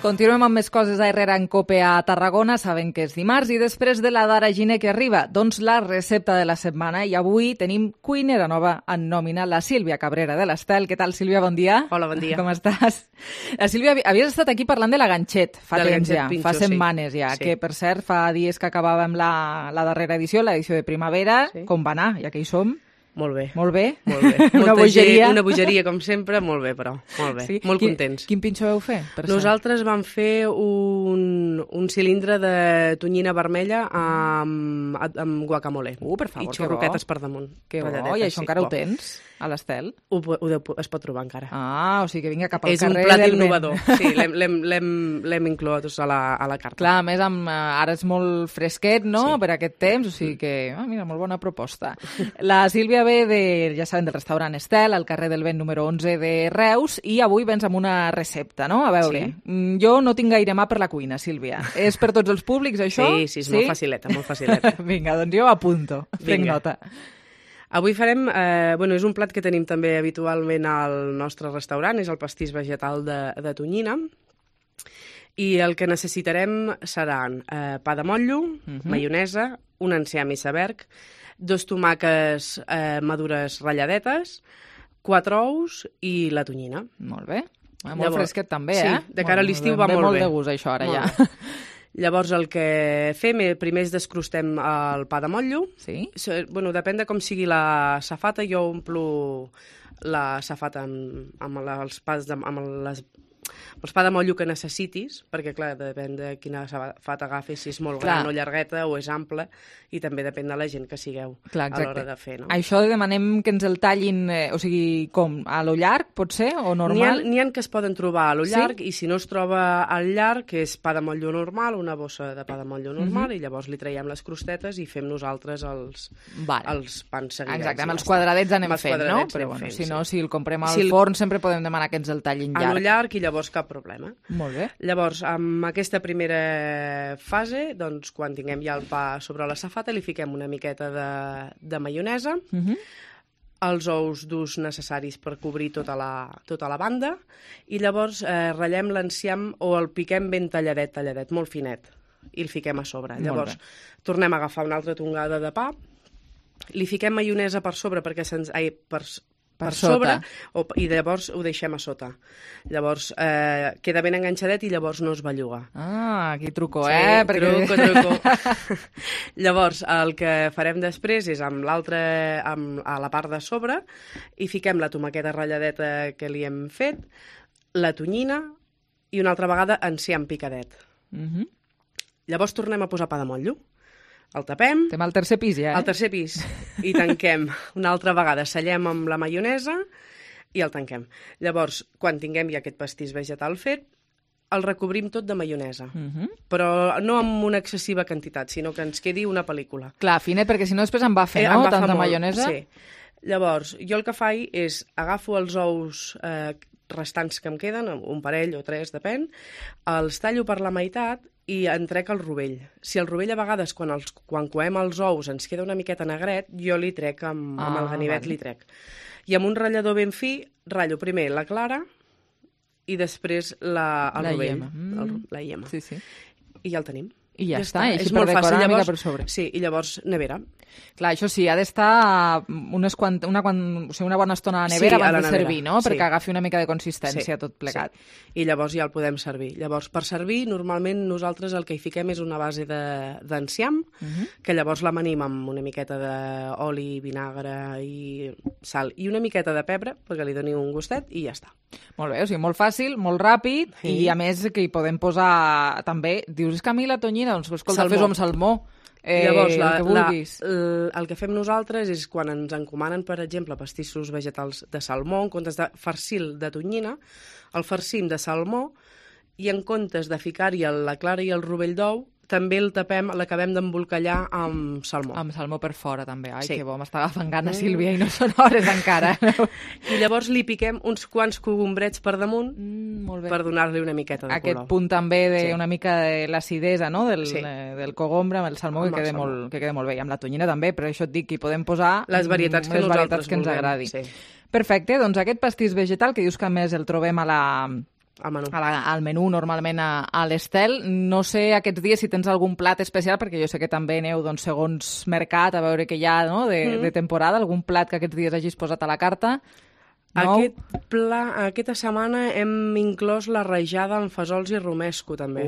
Continuem amb més coses a Herrera en Cope a Tarragona. Saben que és dimarts i després de la Dara Giner que arriba, doncs la recepta de la setmana. I avui tenim cuinera nova en nòmina, la Sílvia Cabrera de l'Estel. Què tal, Sílvia? Bon dia. Hola, bon dia. Com estàs? La Sílvia, havies estat aquí parlant de la ganxet fa temps ja, pinxo, fa setmanes ja, sí. Que per cert fa dies que acabàvem la darrera edició, l'edició de primavera. Sí. Com va anar? Ja que hi som. Molt bé. Molt bé? Molt bé. Una bogeria. Una bogeria, com sempre, molt bé, però. Molt bé. Sí? Molt contents. Quin pinxo vau fer? Nosaltres vam fer un cilindre de tonyina vermella amb guacamole. Per favor, i xurroquetes per damunt. Que bo, i això encara ho tens? A l'Estel? Es pot trobar encara. Ah, o sigui que vinga cap al és carrer. És un plat innovador. Sí, l'hem inclòs a la carta. Clar, a més, ara és molt fresquet, no?, sí. Per aquest temps, o sigui que, mira, molt bona proposta. La Sílvia ve ja saben, del restaurant Estel, al carrer del Vent número 11 de Reus, i avui vens amb una recepta, no? A veure, jo no tinc gaire mà per la cuina, Sílvia. És per tots els públics, això? Sí, és molt facileta, molt facileta. Vinga, doncs jo apunto, prenc nota. Avui farem, és un plat que tenim també habitualment al nostre restaurant, és el pastís vegetal de tonyina, i el que necessitarem seran pa de motllo, maionesa, un enciam i iceberg, 2 tomàquets madures ratlladetes, 4 ous i la tonyina. Molt bé. Molt fresquet també, sí, de cara a l'estiu va molt bé. Molt de gust, això, ara ja. Llavors, el que fem, primer descrostem el pa de motllo. Sí? Depèn de com sigui la safata. Jo omplo la safata amb els pa de motllo que necessitis, perquè, clar, depèn de quina safata agafis, si és molt gran o llargueta o és ampla, i també depèn de la gent que sigueu a l'hora de fer, no? Això demanem que ens el tallin, o sigui, com, a lo llarg, pot ser, o normal? N'hi ha que es poden trobar a lo llarg, i si no es troba al llarg, que és pa de motllo normal, una bossa de pa de motllo normal, i llavors li traiem les crostetes i fem nosaltres els pans seguidets. Exacte, amb els quadradets anem fent, no? Però, bueno, si no, si el comprem al forn, sempre podem demanar que ens el tallin llarg. A lo llarg, i llavors cap problema. Molt bé. Llavors, amb aquesta primera fase, doncs, quan tinguem ja el pa sobre la safata, li fiquem una miqueta de maionesa, els ous durs necessaris per cobrir tota la banda i llavors ratllem l'enciam o el piquem ben talladet, molt finet, i el fiquem a sobre. Llavors tornem a agafar una altra tongada de pa, li fiquem maionesa per sobre perquè per sobre i llavors ho deixem a sota. Llavors queda ben enganxadet i llavors no es belluga. Ah, aquí truco, Truco. Llavors el que farem després és a la part de sobre i fiquem la tomaqueta ratlladeta que li hem fet, la tonyina i una altra vegada enciam picadet. Llavors tornem a posar pa de motllo. El tapem. Estem al tercer pis ja, Al tercer pis. I tanquem una altra vegada. Sellem amb la maionesa i el tanquem. Llavors, quan tinguem ja aquest pastís vegetal fet, el recobrim tot de maionesa. Però no amb una excessiva quantitat, sinó que ens quedi una pel·lícula. Clar, finet, perquè si no després em va fer, no? Tanta maionesa. Sí. Llavors, jo el que faig és agafo els ous restants que em queden, un parell o tres, depèn, els tallo per la meitat i en trec el rovell. Si el rovell a vegades, quan coem els ous, ens queda una miqueta negret, jo li trec amb el ganivet, li trec. I amb un ratllador ben fi, ratllo primer la clara i després el rovell. La iema. Sí, sí. I ja el tenim. I ja està, així per decorar una mica per sobre. Sí, i llavors nevera. Clar, això sí, ha d'estar una bona estona a la nevera abans de servir, no? Perquè agafi una mica de consistència tot plegat. I llavors ja el podem servir. Llavors, per servir, normalment nosaltres el que hi fiquem és una base d'enciam, que llavors l'amanim amb una miqueta d'oli, vinagre i sal i una miqueta de pebre, perquè li doni un gustet, i ja està. Molt bé, o sigui, molt fàcil, molt ràpid, i a més que hi podem posar també... Dius, és que a mi la tonyina, doncs escolta, fes-ho amb salmó. Llavors, el que vulguis. El que fem nosaltres és quan ens encomanen, per exemple, pastissos vegetals de salmó, en comptes de farcir de tonyina, el farcim de salmó i en comptes de ficar-hi la clara i el rovell d'ou, també el tapem, l'acabem d'embolcallar amb salmó. Amb salmó per fora, també. Ai, que bo, m'està agafant gana, Sílvia, i no són hores encara. I llavors li piquem uns quants cogombrets per damunt per donar-li una miqueta de color. Aquest punt també d'una mica de l'acidesa, no?, del cogombre amb el salmó, que queda molt bé. I amb la tonyina també, però això et dic que hi podem posar les varietats que nosaltres ens agradi. Perfecte, doncs aquest pastís vegetal, que dius que a més el trobem al menú normalment a l'Estel. No sé aquests dies si tens algun plat especial, perquè jo sé que també aneu segons mercat a veure què hi ha de temporada, algun plat que aquests dies hagis posat a la carta. Aquesta setmana hem inclòs la rajada amb fesols i romesco, també.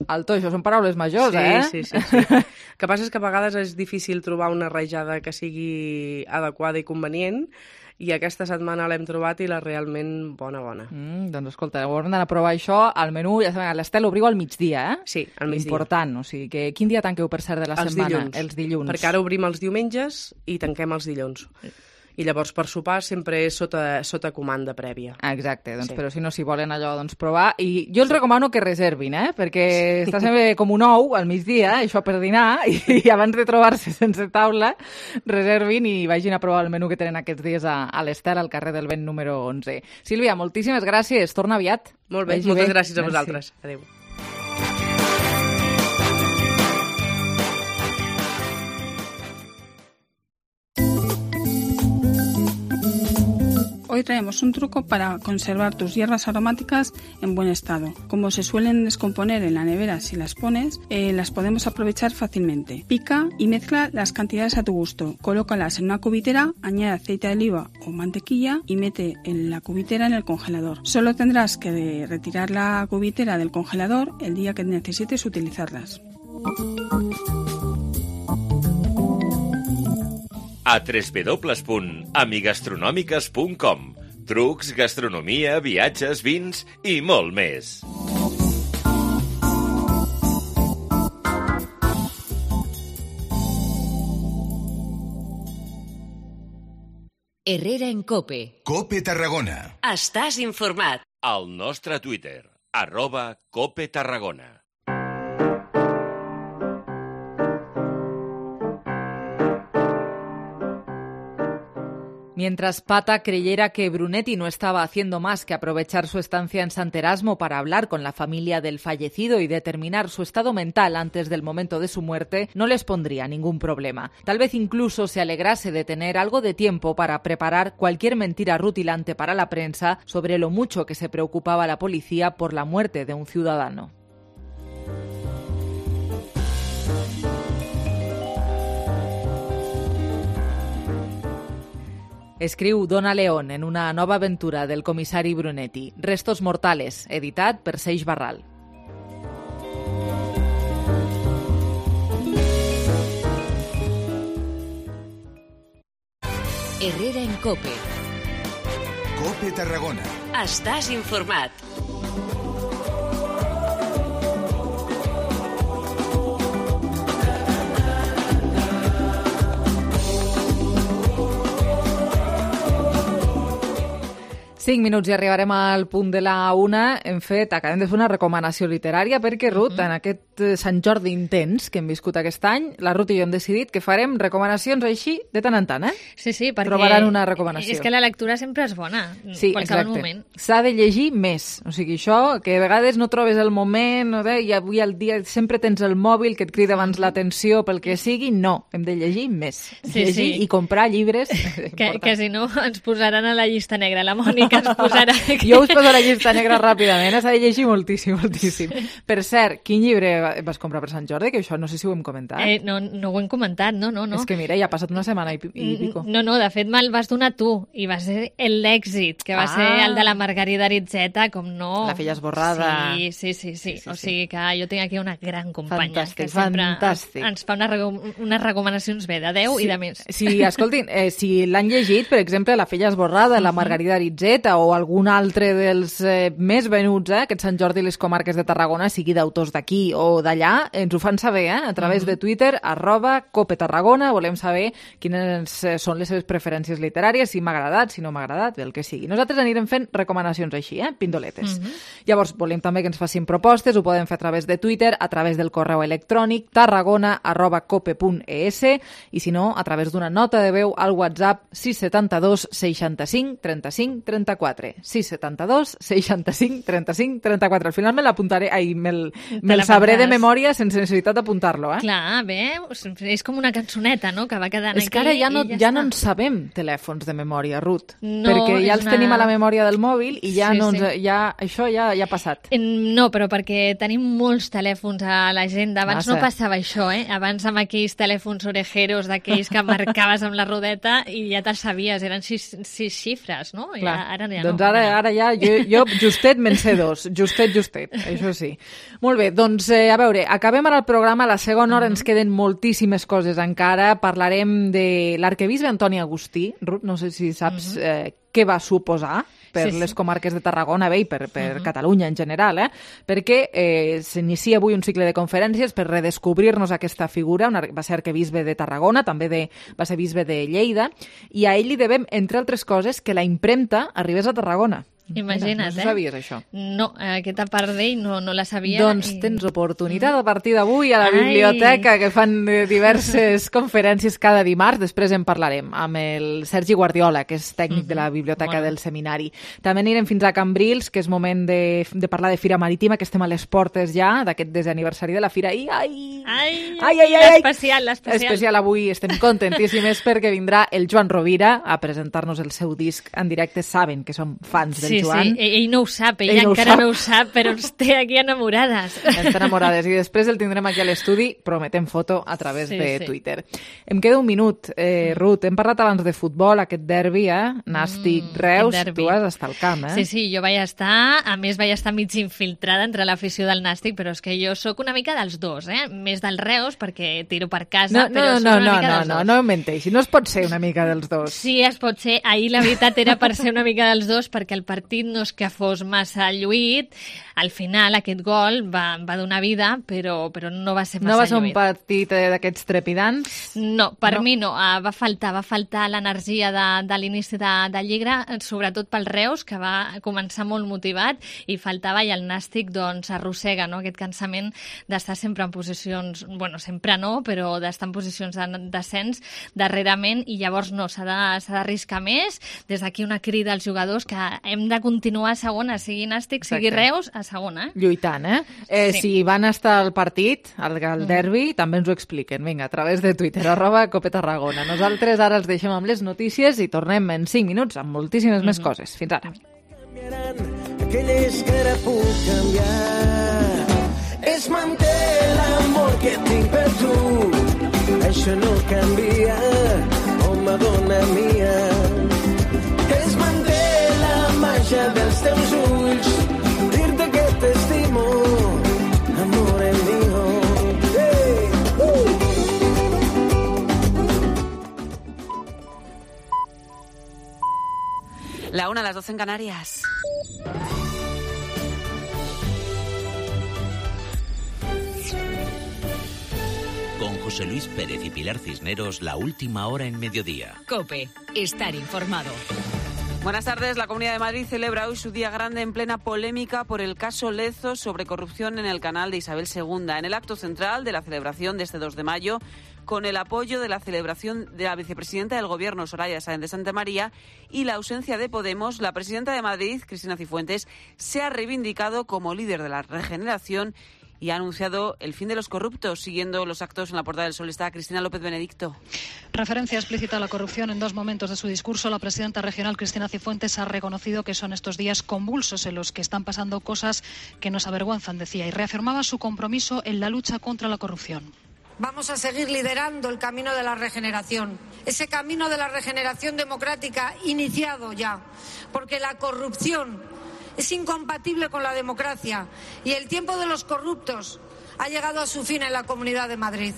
Alto, això són paraules majors, Sí. El que passa és que a vegades és difícil trobar una rajada que sigui adequada i convenient, i aquesta setmana l'hem trobat i la realment bona. Doncs escolta, haurem d'anar a provar això al menú. Ja sabem, a l'Estel obriu al migdia, Sí, al migdia. Important, o sigui que quin dia tanqueu per cert de la setmana? Els dilluns. Perquè ara obrim els diumenges i tanquem els dilluns. I llavors per sopar sempre és sota comanda prèvia. Exacte, doncs, però si no, si volen allò provar. I jo els recomano que reservin, perquè està sempre com un ou al migdia, això per dinar, i abans de trobar-se sense taula, reservin i vagin a provar el menú que tenen aquests dies a l'Estel, al carrer del Vent número 11. Sílvia, moltíssimes gràcies, torna aviat. Molt bé, moltes gràcies a vosaltres. Adéu. Hoy traemos un truco para conservar tus hierbas aromáticas en buen estado. Como se suelen descomponer en la nevera si las pones, las podemos aprovechar fácilmente. Pica y mezcla las cantidades a tu gusto. Colócalas en una cubitera, añade aceite de oliva o mantequilla y mete en la cubitera en el congelador. Solo tendrás que retirar la cubitera del congelador el día que necesites utilizarlas. A www.amigastronòmiques.com. Trucs, gastronomia, viatges, vins i molt més. Herrera en COPE. COPE Tarragona. Estàs informat. Al nostre Twitter, @COPETarragona. Mientras Pata creyera que Brunetti no estaba haciendo más que aprovechar su estancia en Sant Erasmo para hablar con la familia del fallecido y determinar su estado mental antes del momento de su muerte, no les pondría ningún problema. Tal vez incluso se alegrase de tener algo de tiempo para preparar cualquier mentira rutilante para la prensa sobre lo mucho que se preocupaba la policía por la muerte de un ciudadano. Escriu Donna León en una nova aventura del comissari Brunetti, Restos mortales, editat per Seix Barral. Herrera en COPE. COPE Tarragona. Estàs informat. 5 minuts i arribarem al punt de la 1. Acabem de fer una recomanació literària perquè, Ruth, en aquest Sant Jordi intens que hem viscut aquest any, la Ruth i jo hem decidit que farem recomanacions així de tant en tant, Sí, perquè trobaran una recomanació. És que la lectura sempre és bona, sí, qualsevol exacte. moment. S'ha de llegir més, o sigui, això, que a vegades no trobes el moment, i avui al dia sempre tens el mòbil que et crida abans l'atenció pel que sigui, no, hem de llegir més. Llegir i comprar llibres. Que si no ens posaran a la llista negra, la Mònica ens posarà... Jo us poso la llista negra ràpidament, s'ha de llegir moltíssim. Per cert, quin llibre vas comprar per Sant Jordi? Que això no sé si ho hem comentat. No ho hem comentat, no. És que mira, ja ha passat una setmana i pico. No, de fet me'l vas donar tu, i va ser l'èxit, que va ser el de la Margarida Aritzeta, com no... La filla esborrada. Sí. O sigui que jo tinc aquí una gran companya fantàstic, que sempre fantàstic. ens fa unes recomanacions bé, de 10 i de més. Sí, escoltin, si l'han llegit, per exemple, La filla esborrada, la Margarida Aritzeta o algun altre dels més venuts, aquest Sant Jordi i les comarques de Tarragona, sigui d'autors d'aquí o d'allà, ens ho fan saber, a través de Twitter, @CopeTarragona. Volem saber quines són les seves preferències literàries, si m'ha agradat, si no m'ha agradat, el que sigui. Nosaltres anirem fent recomanacions així, pindoletes. Llavors, volem també que ens facin propostes, ho poden fer a través de Twitter, a través del correu electrònic tarragona@cope.es i, si no, a través d'una nota de veu al WhatsApp 672 65 35 34. 672 65 35 34. Al final me l'apuntaré, me'l sabré de memòria sense necessitat d'apuntar-lo. Clar, bé, és com una cançoneta, no?, que va quedant aquí. És que ara ja no en sabem telèfons de memòria, Ruth, no, perquè ja els tenim a la memòria del mòbil i ja això ja ha passat. No, però perquè tenim molts telèfons a l'agenda. Abans no passava això, Abans amb aquells telèfons orejeros, d'aquells que marcaves amb la rodeta i ja te'ls sabies, eren 6 xifres, no? I ara ja no. Doncs ara ja, jo justet me'n sé 2, justet, això sí. Molt bé, doncs a veure, acabem ara el programa, a la segona hora ens queden moltíssimes coses encara, parlarem de l'arquebisbe Antoni Agustí. Ruth, no sé si saps què va suposar per les comarques de Tarragona i per Catalunya en general, perquè s'inicia avui un cicle de conferències per redescobrir-nos aquesta figura. Va ser arquebisbe de Tarragona, també va ser bisbe de Lleida, i a ell li devem, entre altres coses, que la impremta arribés a Tarragona. Imagina't, no sabies això? No, aquesta part d'ell no la sabia. Doncs tens oportunitat a partir d'avui a la biblioteca, que fan diverses conferències cada dimarts. Després en parlarem amb el Sergi Guardiola, que és tècnic de la biblioteca del seminari. També anirem fins a Cambrils, que és moment de parlar de Fira Marítima, que estem a les portes ja d'aquest desè aniversari de la Fira. Especial avui, estem contentíssimes perquè vindrà el Joan Rovira a presentar-nos el seu disc en directe. Saben que som fans del Joan. Sí, ell no ho sap, ell encara no ho sap, però ens té aquí enamorades. Ens té enamorades, i després el tindrem aquí a l'estudi, prometem foto a través de Twitter. Em queda un minut, Ruth, hem parlat abans de futbol, aquest derbi, Nàstic-Reus, tu has estat al camp, Sí, jo vaig estar, a més vaig estar mig infiltrada entre l'afició del Nàstic, però és que jo sóc una mica dels dos, més del Reus, perquè tiro per casa, però sóc una mica dels dos. No menteixi, no es pot ser una mica dels dos. Sí, es pot ser. Ahir la veritat era per ser una mica dels dos, perquè el partit partit no és que fos massa lluït. Al final aquest gol va donar vida, però no va ser massa lluït. No va ser un partit d'aquests trepidants? No, per mi no. Va faltar l'energia de l'inici de Lliga, sobretot pel Reus, que va començar molt motivat, i faltava, i el Nàstic doncs arrossega, no?, aquest cansament d'estar sempre en posicions, bueno, sempre no, però d'estar en posicions de descens darrerament, i llavors no, s'ha d'arriscar més. Des d'aquí una crida als jugadors que hem de continuar a segona, sigui Nàstic, sigui Reus, a segona. Lluitant, sí. Si van estar al partit, al derbi, també ens ho expliquen. Vinga, a través de Twitter, @CopeTarragona. Nosaltres ara els deixem amb les notícies i tornem en 5 minuts amb moltíssimes més coses. Fins ara. Aquelles que ara puc canviar. Es manté l'amor que tinc per tu. Això no canvia, home, dona mia. Es manté la màgia dels teus ulls. Dir-te que t'estimo, amore mío. La 1, las 12 en Canarias. Con José Luis Pérez y Pilar Cisneros, la última hora en mediodía. COPE, estar informado. Buenas tardes. La Comunidad de Madrid celebra hoy su día grande en plena polémica por el caso Lezo sobre corrupción en el canal de Isabel II. En el acto central de la celebración de este 2 de mayo, con el apoyo de la celebración de la vicepresidenta del Gobierno, Soraya Sáenz de Santamaría, y la ausencia de Podemos, la presidenta de Madrid, Cristina Cifuentes, se ha reivindicado como líder de la regeneración y ha anunciado el fin de los corruptos. Siguiendo los actos en la Puerta del Sol está Cristina López Benedicto. Referencia explícita a la corrupción en 2 momentos de su discurso. La presidenta regional, Cristina Cifuentes, ha reconocido que son estos días convulsos en los que están pasando cosas que nos avergüenzan, decía, y reafirmaba su compromiso en la lucha contra la corrupción. Vamos a seguir liderando el camino de la regeneración, ese camino de la regeneración democrática iniciado ya, porque la corrupción es incompatible con la democracia y el tiempo de los corruptos ha llegado a su fin en la Comunidad de Madrid.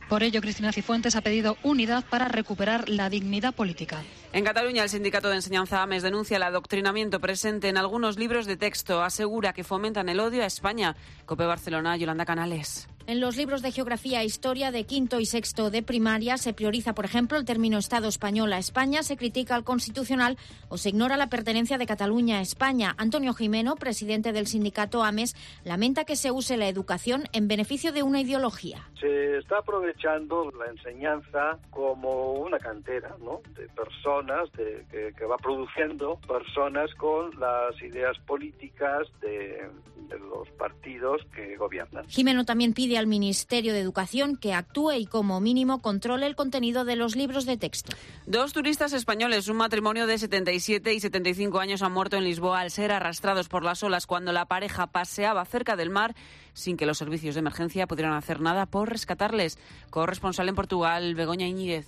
Por ello, Cristina Cifuentes ha pedido unidad para recuperar la dignidad política. En Cataluña, el Sindicato de Enseñanza AMES denuncia el adoctrinamiento presente en algunos libros de texto. Asegura que fomentan el odio a España. COPE Barcelona, Yolanda Canales. En los libros de geografía e historia de quinto y sexto de primaria se prioriza, por ejemplo, el término Estado español a España, se critica al Constitucional o se ignora la pertenencia de Cataluña a España. Antonio Jimeno, presidente del sindicato AMES, lamenta que se use la educación en beneficio de una ideología. Se está aprovechando la enseñanza como una cantera, ¿no?, de personas, que va produciendo personas con las ideas políticas de los partidos que gobiernan. Jimeno también pide al Ministerio de Educación que actúe y como mínimo controle el contenido de los libros de texto. 2 turistas españoles, un matrimonio de 77 y 75 años, han muerto en Lisboa al ser arrastrados por las olas cuando la pareja paseaba cerca del mar sin que los servicios de emergencia pudieran hacer nada por rescatarles. Corresponsal en Portugal, Begoña Íñiguez.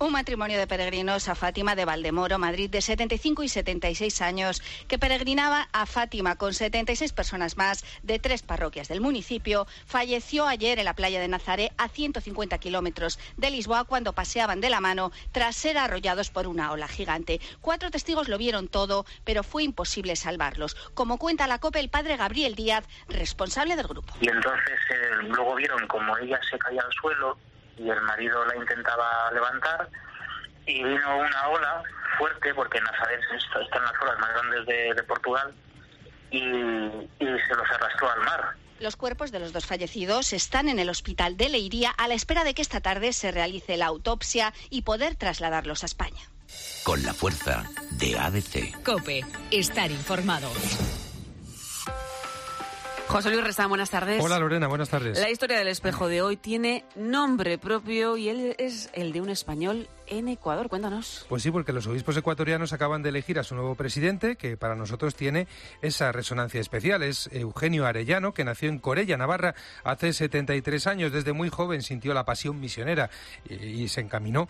Un matrimonio de peregrinos a Fátima de Valdemoro, Madrid, de 75 y 76 años, que peregrinaba a Fátima con 76 personas más de 3 parroquias del municipio, falleció ayer en la playa de Nazaré, a 150 kilómetros de Lisboa, cuando paseaban de la mano tras ser arrollados por una ola gigante. 4 testigos lo vieron todo, pero fue imposible salvarlos. Como cuenta la COPE, el padre Gabriel Díaz, responsable del grupo. Y entonces luego vieron como ella se caía al suelo y el marido la intentaba levantar, y vino una ola fuerte, porque Nazaré está en las olas más grandes de Portugal, y se los arrastró al mar. Los cuerpos de los 2 fallecidos están en el hospital de Leiría a la espera de que esta tarde se realice la autopsia y poder trasladarlos a España. Con la fuerza de ABC. COPE, estar informado. José Luis Restán, buenas tardes. Hola Lorena, buenas tardes. La historia del espejo de hoy tiene nombre propio y él es el de un español en Ecuador. Cuéntanos. Pues sí, porque los obispos ecuatorianos acaban de elegir a su nuevo presidente, que para nosotros tiene esa resonancia especial. Es Eugenio Arellano, que nació en Corella, Navarra, hace 73 años. Desde muy joven sintió la pasión misionera y se encaminó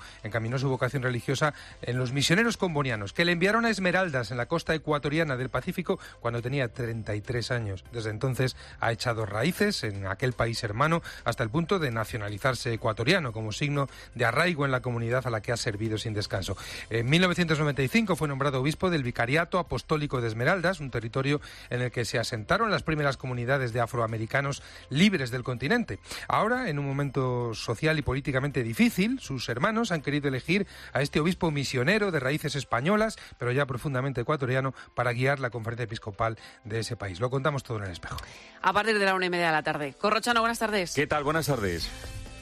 su vocación religiosa en los misioneros combonianos, que le enviaron a Esmeraldas, en la costa ecuatoriana del Pacífico, cuando tenía 33 años. Desde entonces ha echado raíces en aquel país hermano hasta el punto de nacionalizarse ecuatoriano, como signo de arraigo en la comunidad a la que que ha servido sin descanso. En 1995 fue nombrado obispo del Vicariato Apostólico de Esmeraldas, un territorio en el que se asentaron las primeras comunidades de afroamericanos libres del continente. Ahora, en un momento social y políticamente difícil, sus hermanos han querido elegir a este obispo misionero de raíces españolas, pero ya profundamente ecuatoriano, para guiar la conferencia episcopal de ese país. Lo contamos todo en El Espejo. A partir de la 1:30 de la tarde. Corrochano, buenas tardes. ¿Qué tal? Buenas tardes.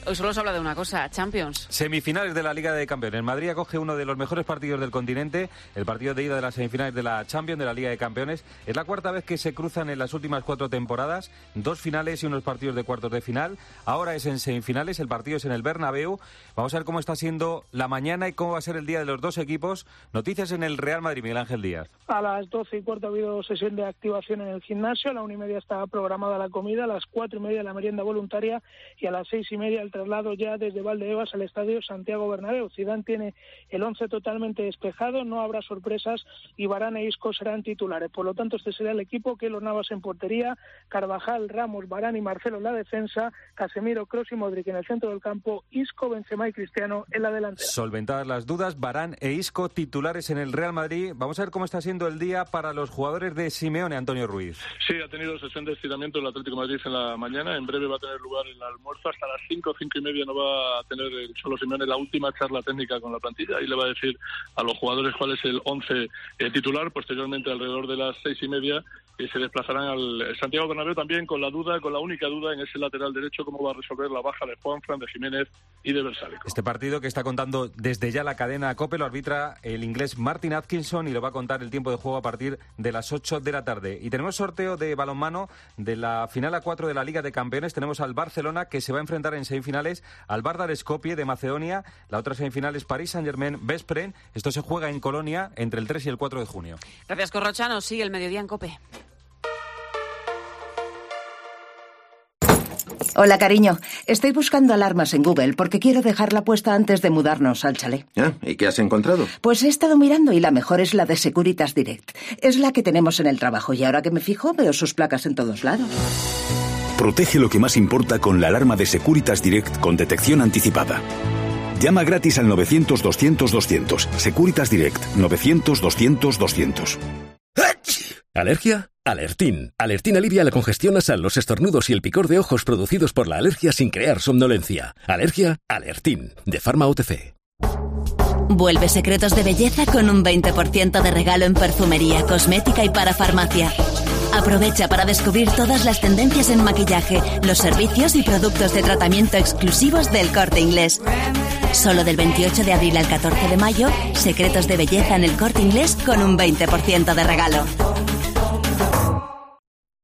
Hoy solo os habla de una cosa, Champions. Semifinales de la Liga de Campeones. Madrid acoge uno de los mejores partidos del continente, el partido de ida de las semifinales de la Champions, de la Liga de Campeones. Es la cuarta vez que se cruzan en las últimas 4 temporadas, 2 finales y unos partidos de cuartos de final. Ahora es en semifinales, el partido es en el Bernabéu. Vamos a ver cómo está siendo la mañana y cómo va a ser el día de los dos equipos. Noticias en el Real Madrid, Miguel Ángel Díaz. A las 12:15 ha habido sesión de activación en el gimnasio, a la 1:30 está programada la comida, a las 4:30 la merienda voluntaria y a las 6:30 el traslado ya desde Valdebebas al estadio Santiago Bernabéu. Zidane tiene el 11 totalmente despejado, no habrá sorpresas y Varane e Isco serán titulares. Por lo tanto, este será el equipo: Keylor Navas en portería, Carvajal, Ramos, Varane y Marcelo en la defensa, Casemiro, Kroos y Modric en el centro del campo, Isco, Benzema y Cristiano en la delantera. Solventadas las dudas, Varane e Isco titulares en el Real Madrid. Vamos a ver cómo está siendo el día para los jugadores de Simeone, Antonio Ruiz. Sí, ha tenido sesión de estiramiento el Atlético de Madrid en la mañana. En breve va a tener lugar el almuerzo. Hasta las 5:30 no va a tener el Cholo Simeone la última charla técnica con la plantilla y le va a decir a los jugadores cuál es el 11 titular. Posteriormente, alrededor de las 6:30, se desplazarán al Santiago Bernabéu también con la única duda en ese lateral derecho, cómo va a resolver la baja de Juanfran, de Jiménez y de Versálico. Este partido que está contando desde ya la cadena COPE lo arbitra el inglés Martin Atkinson y lo va a contar el tiempo de juego a partir de las 8 de la tarde. Y tenemos sorteo de balonmano de la final A4 de la Liga de Campeones. Tenemos al Barcelona, que se va a enfrentar en semifinales al Vardar Skopje de Macedonia. La otra semifinal es París Saint-Germain Veszprém. Esto se juega en Colonia entre el 3 y el 4 de junio. Gracias, Corrochano. Sigue el mediodía en COPE. Hola, cariño. Estoy buscando alarmas en Google porque quiero dejarla puesta antes de mudarnos al chalet. ¿Y qué has encontrado? Pues he estado mirando y la mejor es la de Securitas Direct. Es la que tenemos en el trabajo y ahora que me fijo veo sus placas en todos lados. Protege lo que más importa con la alarma de Securitas Direct con detección anticipada. Llama gratis al 900-200-200. Securitas Direct, 900-200-200. ¿Alergia? Alertín. Alertín alivia la congestión nasal, los estornudos y el picor de ojos producidos por la alergia sin crear somnolencia. ¿Alergia? Alertín. De Pharma OTC. Vuelve Secretos de Belleza con un 20% de regalo en perfumería, cosmética y parafarmacia. Aprovecha para descubrir todas las tendencias en maquillaje, los servicios y productos de tratamiento exclusivos del Corte Inglés. Solo del 28 de abril al 14 de mayo, Secretos de Belleza en el Corte Inglés con un 20% de regalo.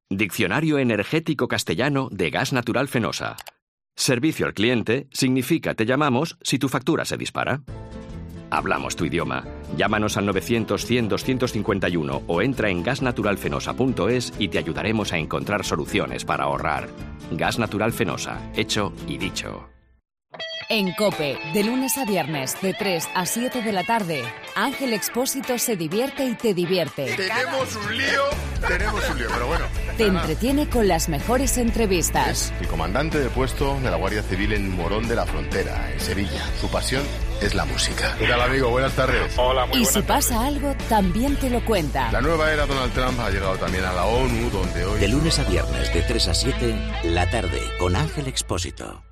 Diccionario energético castellano de gas natural Fenosa. Servicio al cliente significa te llamamos si tu factura se dispara. Hablamos tu idioma. Llámanos al 900-100-251 o entra en gasnaturalfenosa.es y te ayudaremos a encontrar soluciones para ahorrar. Gas Natural Fenosa. Hecho y dicho. En COPE, de lunes a viernes, de 3 a 7 de la tarde, Ángel Expósito se divierte y te divierte. Tenemos un lío, pero bueno. Te entretiene con las mejores entrevistas. Es el comandante de puesto de la Guardia Civil en Morón de la Frontera, en Sevilla. Su pasión es la música. ¿Qué tal, amigo? Buenas tardes. Hola, muy Y buenas si pasa tardes. algo, también te lo cuenta. La nueva era Donald Trump ha llegado también a la ONU, donde hoy... De lunes a viernes, de 3 a 7, la tarde, con Ángel Expósito.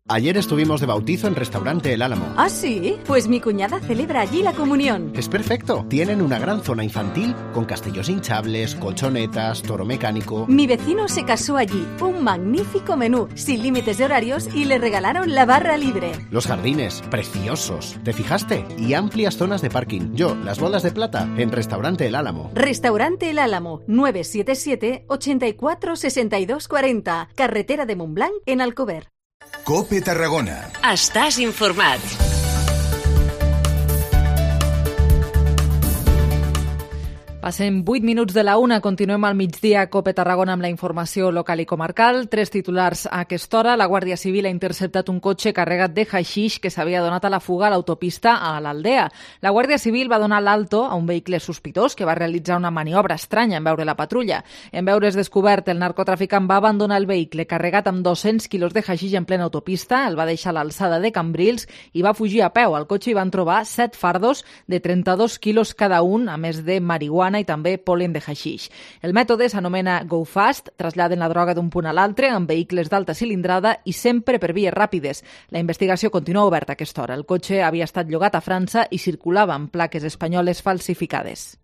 Ayer estuvimos de bautizo en Restaurante El Álamo. ¿Ah, sí? Pues mi cuñada celebra allí la comunión. Es perfecto. Tienen una gran zona infantil con castillos hinchables, colchonetas, toro mecánico. Mi vecino se casó allí. Un magnífico menú, sin límites de horarios y le regalaron la barra libre. Los jardines, preciosos. ¿Te fijaste? Y amplias zonas de parking. Yo, las bolas de plata, en Restaurante El Álamo. Restaurante El Álamo, 977 84 62 40. Carretera de Montblanc, en Alcover. COPE Tarragona. Estàs informat. Passem 8 minuts de la 1, continuem al migdia a COPE Tarragona amb la informació local i comarcal. 3 titulars a aquesta hora. La Guàrdia Civil ha interceptat un cotxe carregat de haixix que s'havia donat a la fuga a l'autopista a l'Aldea. La Guàrdia Civil va donar l'alto a un vehicle sospitós que va realitzar una maniobra estranya en veure la patrulla. En veure's descobert, el narcotraficant va abandonar el vehicle carregat amb 200 quilos de haixix en plena autopista, el va deixar a l'alçada de Cambrils i va fugir a peu. Al cotxe hi van trobar 7 fardos de 32 quilos cada un, a més de marihuana i també polen de haixix. El mètode s'anomena Go Fast, traslladen la droga d'un punt a l'altre amb vehicles d'alta cilindrada i sempre per vies ràpides. La investigació continua oberta a aquesta hora. El cotxe havia estat llogat a França i circulava amb plaques espanyoles falsificades.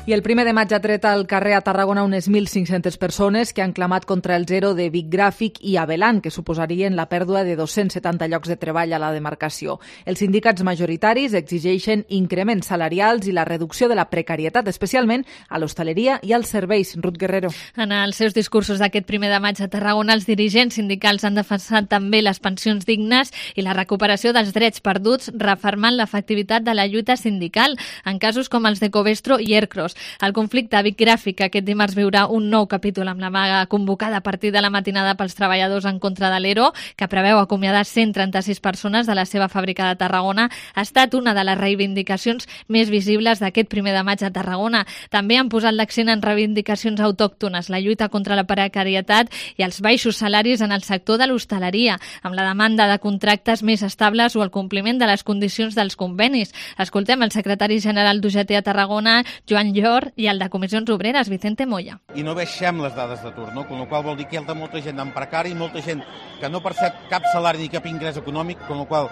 I el 1 de maig ha tret al carrer a Tarragona unes 1.500 persones que han clamat contra el zero de Vic Gràfic i Avelan, que suposarien la pèrdua de 270 llocs de treball a la demarcació. Els sindicats majoritaris exigeixen increments salarials i la reducció de la precarietat, especialment a l'hostaleria i als serveis. Ruth Guerrero. En els seus discursos d'aquest 1 de maig a Tarragona, els dirigents sindicals han defensat també les pensions dignes i la recuperació dels drets perduts, refermant l'efectivitat de la lluita sindical en casos com els de Covestro i Ercros. El conflicte a Vic Gràfic aquest dimarts viurà un nou capítol amb la vaga convocada a partir de la matinada pels treballadors en contra de l'ERO, que preveu acomiadar 136 persones de la seva fàbrica de Tarragona. Ha estat una de les reivindicacions més visibles d'aquest 1 de maig a Tarragona. També han posat l'accent en reivindicacions autòctones, la lluita contra la precarietat i els baixos salaris en el sector de l'hostaleria, amb la demanda de contractes més estables o el compliment de les condicions dels convenis. Escoltem el secretari general d'UGT a Tarragona, Joan Llor, i el de Comissions Obreres, Vicente Moya. I no baixem les dades d'atur, no? Con la qual vol dir que hi ha molta gent en precari, molta gent que no percep cap salari ni cap ingrés econòmic, con la qual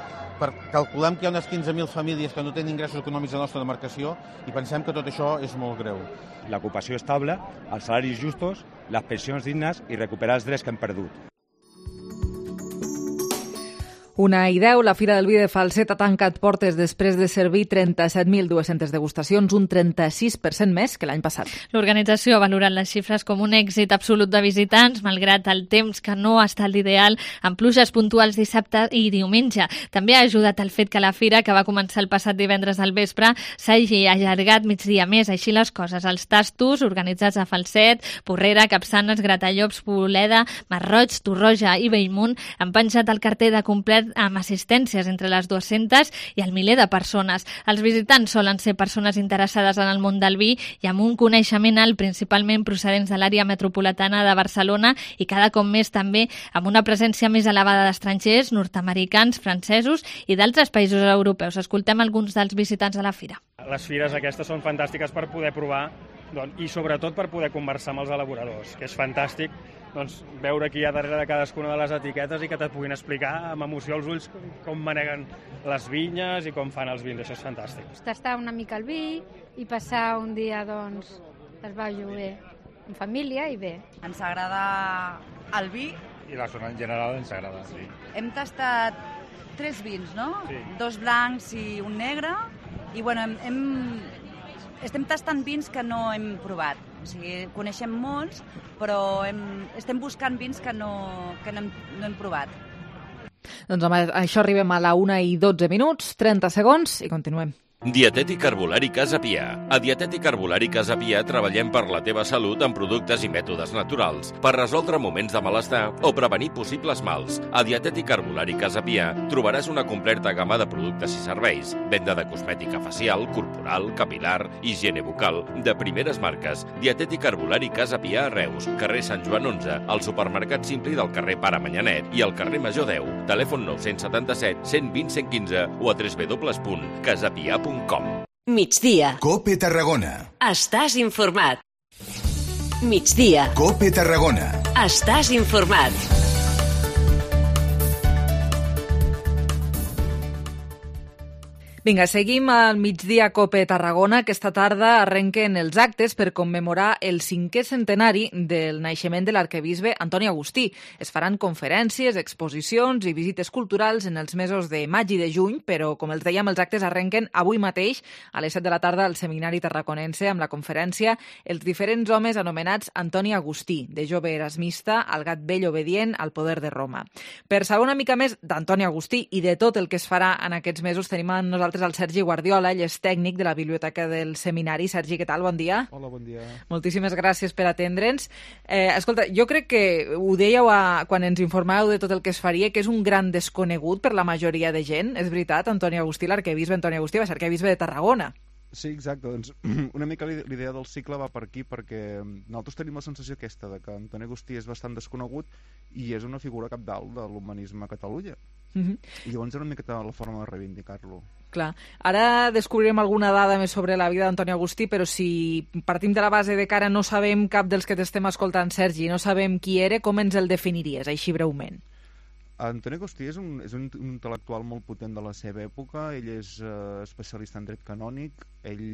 calculem que hi ha unes 15.000 famílies que no tenen ingressos econòmics a la nostra demarcació i pensem que tot això és molt greu. L'ocupació estable, els salaris justos, les pensions dignes i recuperar els drets que hem perdut. 1:10, la Fira del Vi de Falset ha tancat portes després de servir 37.200 degustacions, un 36% més que l'any passat. L'organització ha valorat les xifres com un èxit absolut de visitants, malgrat el temps que no ha estat l'ideal, amb pluges puntuals dissabte i diumenge. També ha ajudat el fet que la Fira, que va començar el passat divendres al vespre, s'hagi allargat migdia més. Així les coses, els tastos organitzats a Falset, Porrera, Capçanes, Gratallops, Boleda, Masroig, Torroja i Bellmunt han penjat el carter de complet amb assistències entre les 200 i el miler de persones. Els visitants solen ser persones interessades en el món del vi i amb un coneixement alt, principalment procedents de l'àrea metropolitana de Barcelona i cada cop més també amb una presència més elevada d'estrangers, nord-americans, francesos i d'altres països europeus. Escoltem alguns dels visitants de la fira. Les fires aquestes són fantàstiques per poder provar i sobretot per poder conversar amb els elaboradors, que és fantàstic veure qui hi ha darrere de cadascuna de les etiquetes i que te puguin explicar amb emoció als ulls com maneguen les vinyes i com fan els vins. Això és fantàstic. Tastar una mica el vi i passar un dia, es va lloguer en família i bé. Ens agrada el vi. I la zona en general ens agrada, sí. Hem tastat 3 vins, no? Sí. 2 blancs i un negre. I bueno, estem tastant vins que no hem provat. O sigui, coneixem molts, però estem buscant vins que no hem provat. Doncs amb això arribem a la 1:12, 30 segons i continuem. Dietètic Herbolari Casa Pià. A Dietètic Herbolari Casa Pià treballem per la teva salut amb productes i mètodes naturals, per resoldre moments de malestar o prevenir possibles mals. A Dietètic Herbolari Casa Pià trobaràs una completa gamma de productes i serveis, venda de cosmètica facial, corporal, capilar, higiene bucal, de primeres marques. Dietètic Herbolari Casa Pià a Reus, carrer Sant Joan 11, al supermercat Simpli del carrer Pare Manyanet i al carrer Major 10, telèfon 977 120 115 o a www.casapia.com. Migdia. COPE Tarragona. Estàs informat. Migdia. COPE Tarragona. Estàs informat. Vinga, seguim al migdia Cope Tarragona. Aquesta tarda arrenquen els actes per commemorar el 5è centenari del naixement de l'arquebisbe Antoni Agustí. Es faran conferències, exposicions i visites culturals en els mesos de maig i de juny, però, com els dèiem, els actes arrenquen avui mateix a les 7 de la tarda al Seminari Tarraconense amb la conferència Els diferents homes anomenats Antoni Agustí, de jove erasmista al gat vell obedient al poder de Roma. Per saber una mica més d'Antoni Agustí i de tot el que es farà en aquests mesos, tenim amb nosaltres el Sergi Guardiola, ell és tècnic de la Biblioteca del Seminari. Sergi, què tal? Bon dia. Hola, bon dia. Moltíssimes gràcies per atendre'ns. Escolta, jo crec que ho dèieu quan ens informàveu de tot el que es faria, que és un gran desconegut per la majoria de gent. És veritat, Antoni Agustí, l'arquebisbe Antoni Agustí, va ser arquebisbe de Tarragona. Sí, exacte. Doncs una mica l'idea del cicle va per aquí, perquè nosaltres tenim la sensació aquesta de que Antoni Agustí és bastant desconegut i és una figura capdalt de l'humanisme a Catalunya. I llavors era una miqueta la forma de reivindicar-lo. Clar. Ara descobrirem alguna dada més sobre la vida d'Antoni Agustí, però si partim de la base de que ara no sabem cap dels que t'estem escoltant, Sergi, no sabem qui era, com ens el definiries, així breument? Antoni Agustí és un intel·lectual molt potent de la seva època. Ell és especialista en dret canònic, ell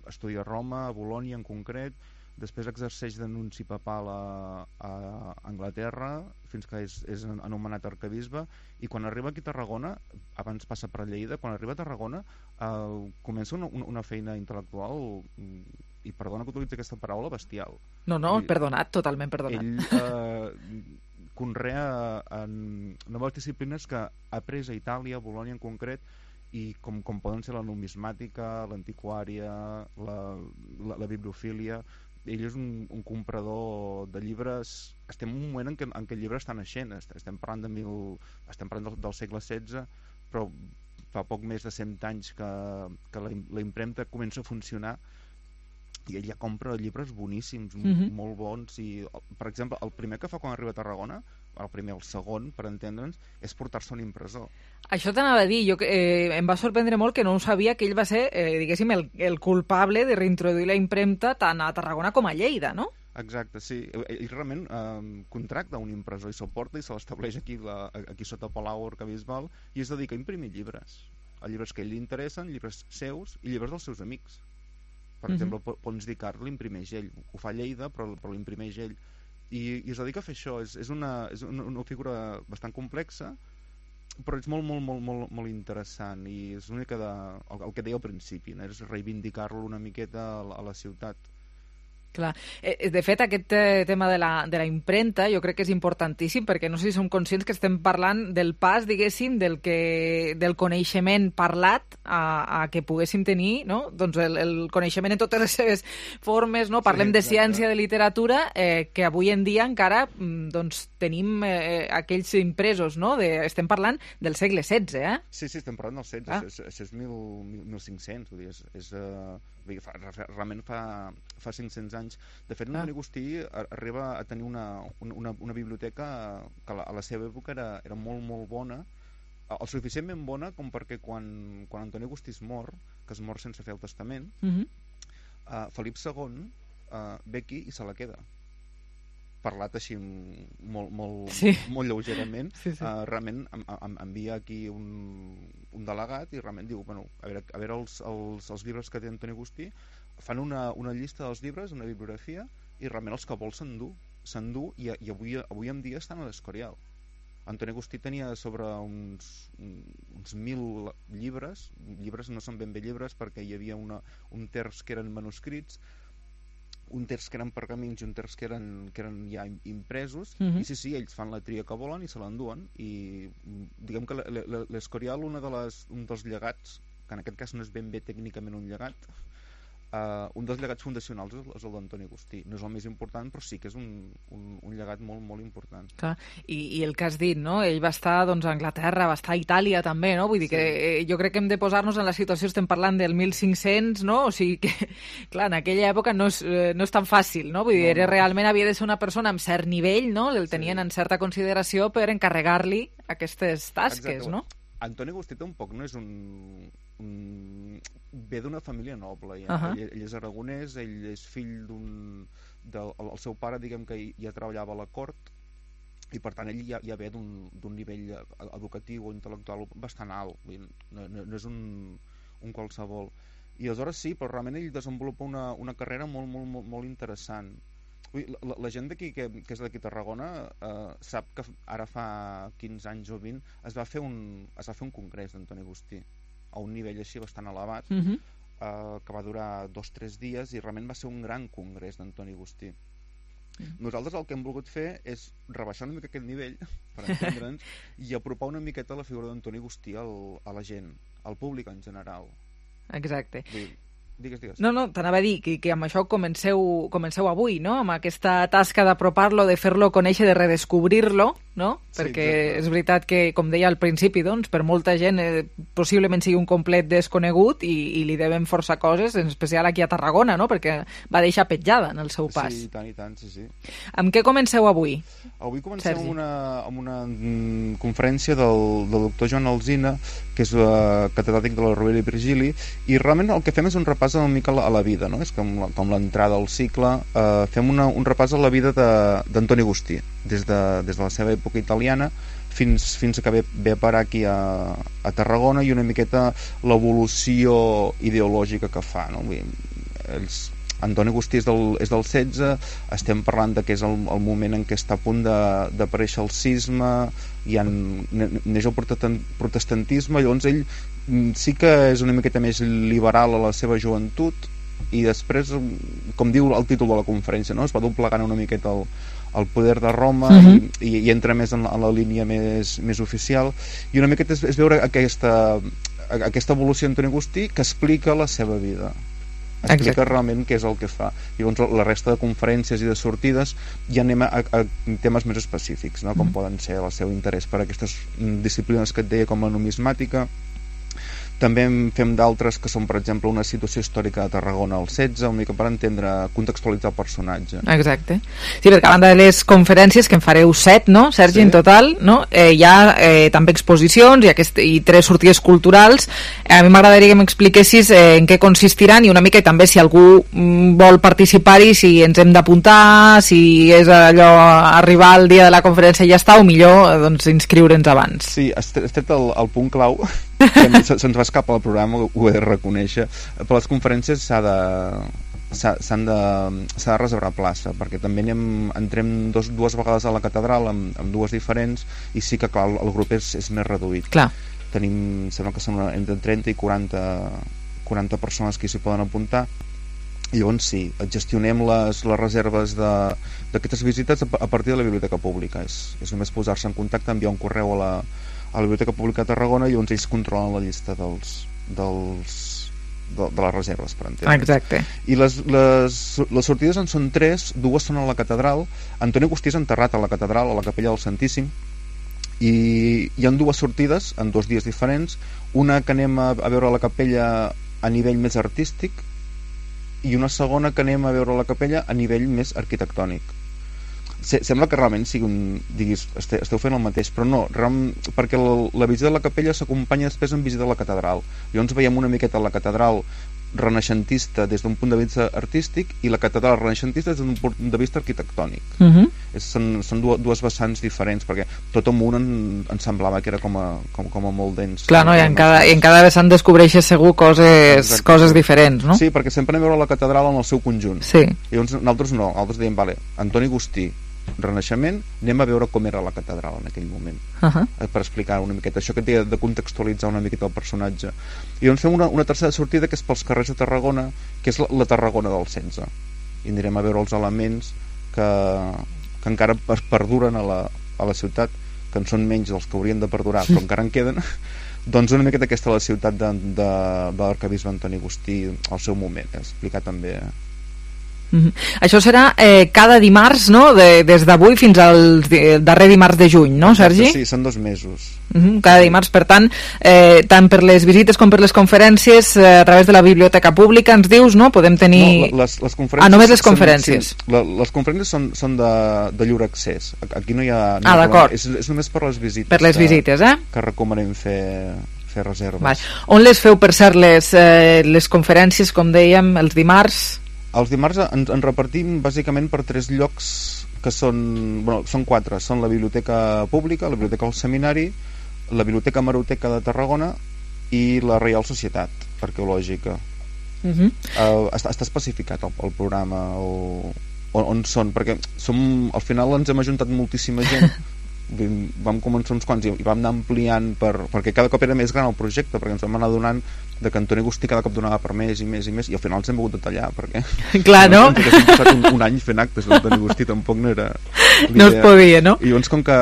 estudia a Roma, a Bolònia en concret, després exerceix d'anunci papal a Anglaterra fins que és anomenat arquebisbe, i quan arriba aquí a Tarragona, abans passa per Lleida, quan arriba a Tarragona comença una feina intel·lectual, i perdona que utilitzi aquesta paraula, bestial. No, perdonat, totalment perdonat. Ell conrea noves disciplines que ha après a Itàlia, a Bolònia en concret, i com poden ser la numismàtica, l'antiquària, la bibliofília. Ell és un comprador de llibres. Estem en un moment en què el llibre està naixent. Estem parlant del segle XVI, però fa poc més de 100 anys que la impremta comença a funcionar, i ell ja compra llibres boníssims, molt bons. I, per exemple, el primer que fa quan arriba a Tarragona, el segon, per entendre'ns, és portar-se un impressor. Això t'anava a dir, em va sorprendre molt que no ho sabia, que ell va ser, diguéssim, el culpable de reintroduir la impremta tant a Tarragona com a Lleida, no? Exacte, sí. Ell realment contracta un impressor i se'l porta i se l'estableix aquí sota Palau Arquebisbal, i es dedica a imprimir llibres. Llibres que a ell li interessen, llibres seus i llibres dels seus amics. Per exemple, Pons d'Icart l'imprimeix ell. Ho fa a Lleida, però l'imprimeix ell. I es dedica a fer això. És una figura bastant complexa, però és molt interessant, i és una mica el que deia al principi, no? És reivindicar-lo una miqueta a la ciutat. Clar. De fet, aquest tema de la impremta jo crec que és importantíssim, perquè no sé si som conscients que estem parlant del pas, diguéssim, del coneixement parlat a que poguéssim tenir, no? Doncs el coneixement en totes les seves formes, no? Parlem de ciència, de literatura, que avui en dia encara doncs, tenim aquells impresos, no? Estem parlant del segle XVI, eh? Sí, estem parlant del XVI, això és 1500, vull dir, realment fa 500 anys. De fet, Antoni Agustí arriba a tenir una biblioteca que a la seva època era molt bona, el suficientment bona com perquè quan Antoni Agustí es mor, que es mor sense fer el testament, Felip II ve aquí i se la queda. Parlat així molt lleugerament. Realment envia aquí un delegat i realment diu, a veure els llibres que té Antoni Agustí, fan una llista dels llibres, una bibliografia, i realment els que vol s'endú, i avui en dia estan a l'Escorial. Antoni Agustí tenia sobre uns 1.000 llibres no són ben bé llibres, perquè hi havia un terç que eren manuscrits, un terç que eren pergamins i un terç que eren ja impresos, i sí, ells fan la tria que volen i se l'enduen, i diguem que l'Escorial, un dels llegats, que en aquest cas no és ben bé tècnicament un llegat, un dels llegats fundacionals és el d'Antoni Agustí. No és el més important, però sí que és un llegat molt important. Clar. I el que has dit, no? Ell va estar a Anglaterra, va estar a Itàlia també, no? Vull dir que jo crec que hem de posar-nos en la situació, estem parlant del 1500, no? O sigui que, clar, en aquella època no és tan fàcil, no? Vull dir, realment havia de ser una persona amb cert nivell, no? El tenien en certa consideració per encarregar-li aquestes tasques, no? Antoni Agustí tampoc no és ve d'una família noble, ell és aragonès, ell és fill el seu pare, diguem que ja treballava a la cort, i per tant ell ja ve d'un nivell educatiu o intel·lectual bastant alt, no és un qualsevol, i aleshores sí, però realment ell desenvolupa una carrera molt interessant. La gent d'aquí que és d'aquí a Tarragona sap que ara fa 15 anys o 20 es va fer un congrés d'Antoni Agustí a un nivell així bastant elevat, que va durar 2 o 3 dies, i realment va ser un gran congrés d'Antoni Agustí. Nosaltres el que hem volgut fer és rebaixar una mica aquest nivell, per entendre'ns, i apropar una miqueta la figura d'Antoni Agustí a la gent, al públic en general. Exacte. Digues. No, t'anava a dir que amb això comenceu avui, no? Amb aquesta tasca d'apropar-lo, de fer-lo conèixer, de redescobrir-lo, no? Perquè és veritat que, com deia al principi, doncs, per molta gent possiblement sigui un complet desconegut i li devem força coses, en especial aquí a Tarragona, no? Perquè va deixar petjada en el seu pas. Sí, i tant, sí. Amb què comenceu avui? Avui comencem amb una conferència del doctor Joan Alsina, que és catedràtic de la Rovira i Virgili, i realment el que fem és un repàs una mica a la vida, no? És com l'entrada al cicle. Fem un repàs a la vida d'Antoni Agustí, des de la seva època italiana fins que ve a parar aquí a Tarragona, i una miqueta l'evolució ideològica que fa, no? Antoni Agustí és del 16, estem parlant que és el moment en què està a punt d'aparèixer el cisma, neix el protestantisme, llavors ell sí que és una miqueta més liberal a la seva joventut, i després, com diu el títol de la conferència, no? Es va doblegant una miqueta el poder de Roma, i entra més en la línia més oficial, i una miqueta és veure aquesta evolució d'Antoni Agustí, que explica la seva vida, explica realment què és el que fa. I llavors la resta de conferències i de sortides ja anem a temes més específics, no? Com poden ser el seu interès per aquestes disciplines que et deia, com la numismàtica. També en fem d'altres que són, per exemple, una situació històrica de Tarragona al 16, una mica per entendre, contextualitzar el personatge. Exacte. Sí, perquè a banda de les conferències, que en fareu 7, no, Sergi, en total, no? Hi ha també exposicions i 3 sortides culturals. A mi m'agradaria que m'expliquessis en què consistiran, i una mica també si algú vol participar-hi, si ens hem d'apuntar, si és allò arribar al dia de la conferència i ja està, o millor doncs, inscriure'ns abans. Sí, has tret el punt clau, que se'ns va escapar al programa, ho he de reconèixer. Per les conferències s'ha de reservar plaça, perquè també entrem dues vegades a la catedral amb 2 diferents, i sí que clar, el grup és més reduït. Clar. Tenim, sembla que són entre 30 i 40 persones que s'hi poden apuntar, i llavors sí, gestionem les reserves d'aquestes visites a partir de la Biblioteca Pública. És només posar-se en contacte, enviar un correu a la Biblioteca Pública de Tarragona, i llavors ells controlen la llista de les reserves, per entendre. Exacte. I les sortides en són 3, 2 són a la catedral. Antoni Agustí és enterrat a la catedral, a la capella del Santíssim, i hi ha 2 sortides en 2 dies diferents, una que anem a veure la capella a nivell més artístic, i una segona que anem a veure la capella a nivell més arquitectònic. Sembla que realment diguis, esteu fent el mateix, però no, perquè la visita de la capella s'acompanya després amb visita a la catedral. Llavors veiem una miqueta la catedral renaixentista des d'un punt de vista artístic, i la catedral renaixentista des d'un punt de vista arquitectònic. Són 2 vessants diferents, perquè tot amunt em semblava que era com a molt dens. Clar, no? I en cada vessant descobreixes segur coses diferents, no? Sí, perquè sempre anem a veure la catedral en el seu conjunt. Sí. I llavors nosaltres dèiem, vale, Antoni Agustí, Renaixement, anem a veure com era la catedral en aquell moment, per explicar una miqueta això que té de contextualitzar una miqueta el personatge. I doncs fem una tercera sortida, que és pels carrers de Tarragona, que és la Tarragona del 16, i anirem a veure els elements que encara perduren a la ciutat, que en són menys dels que haurien de perdurar, però encara en queden. Doncs una miqueta aquesta la ciutat de l'arquebisbe Antoni Agustí al seu moment, explicar també. Això serà cada dimarts, no? Des d'avui fins al darrer dimarts de juny, no, Sergi? Sí, són 2 mesos. Cada dimarts, per tant, tant per les visites com per les conferències, a través de la Biblioteca Pública, ens dius, no? Podem tenir... No, les conferències... només les conferències. Les conferències són de lliure accés. Aquí no hi ha... d'acord. És només per les visites. Per les visites, que recomanem fer reserves. Vale. On les feu, per cert, les conferències, com dèiem, els dimarts? Els dimarts ens repartim bàsicament per 3 llocs que són 4, són la Biblioteca Pública, la Biblioteca del Seminari, la Biblioteca Hemeroteca de Tarragona i la Reial Societat Arqueològica. Està especificat el programa on són, perquè al final ens hem ajuntat moltíssima gent. Vam començar uns quants i vam anar ampliant perquè cada cop era més gran el projecte, perquè ens vam anar donant que Antoni Agustí cada cop donava per més i més i més, i al final ens hem hagut de tallar perquè clar, no? Hem passat un any fent actes d'Antoni Agustí, tampoc no era no es podia, no? I llavors com que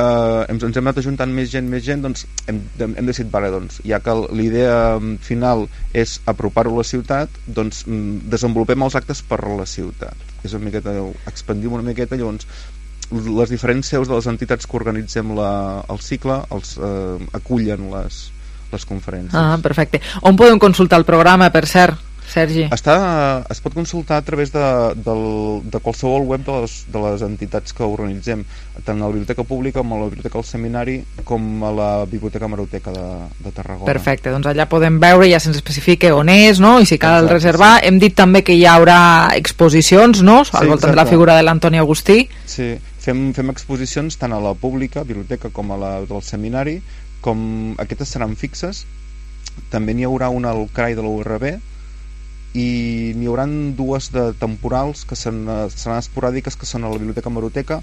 ens hem anat ajuntant més gent, doncs hem decidit, doncs, ja que l'idea final és apropar-ho a la ciutat, doncs desenvolupem els actes per la ciutat, és una miqueta, expandim una miqueta, llavors les diferents seus de les entitats que organitzem el cicle acullen les conferències. Perfecte. On podem consultar el programa, per cert, Sergi? Es pot consultar a través de qualsevol web de les entitats que organitzem, tant a la Biblioteca Pública com a la Biblioteca del Seminari com a la Biblioteca Hemeroteca de Tarragona. Perfecte, doncs allà podem veure, ja se'ns especifica on és, no? I si cal reservar. Hem dit també que hi haurà exposicions, no? Al voltant de la figura de l'Antoni Agustí. Sí, fem exposicions tant a la Pública, Biblioteca, com a la del Seminari, com aquestes seran fixes. També n'hi haurà una al CRAI de la URB i n'hi haurà dues de temporals que seran esporàdiques, que són a la Biblioteca Hemeroteca,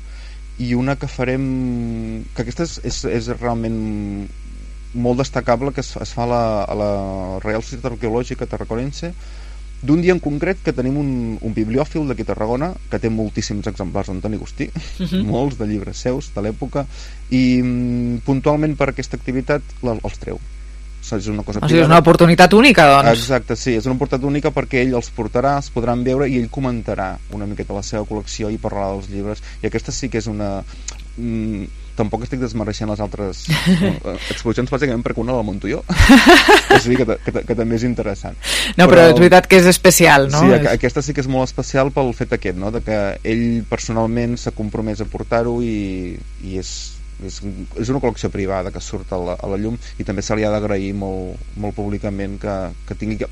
i una que farem, que aquesta és realment molt destacable, que es fa a la Reial Societat Arqueològica Tarraconense, d'un dia en concret que tenim un bibliòfil d'aquí a Tarragona que té moltíssims exemplars d'Antoni Agustí, molts de llibres seus de l'època, i puntualment per aquesta activitat els treu. És una cosa és una oportunitat única, doncs. Exacte, sí, és una oportunitat única perquè ell els portarà, els podran veure i ell comentarà una miqueta la seva col·lecció i parlarà dels llibres, i aquesta sí que és una... Tampoc estic desmereixent les altres exposicions, bàsicament perquè una la munto jo. És a dir, que també és interessant. No, però és veritat que és especial, no? Sí, aquesta sí que és molt especial pel fet aquest, no? De que ell personalment s'ha compromès a portar-ho i és una col·lecció privada que surt a la llum, i també se li ha d'agrair molt públicament que tingui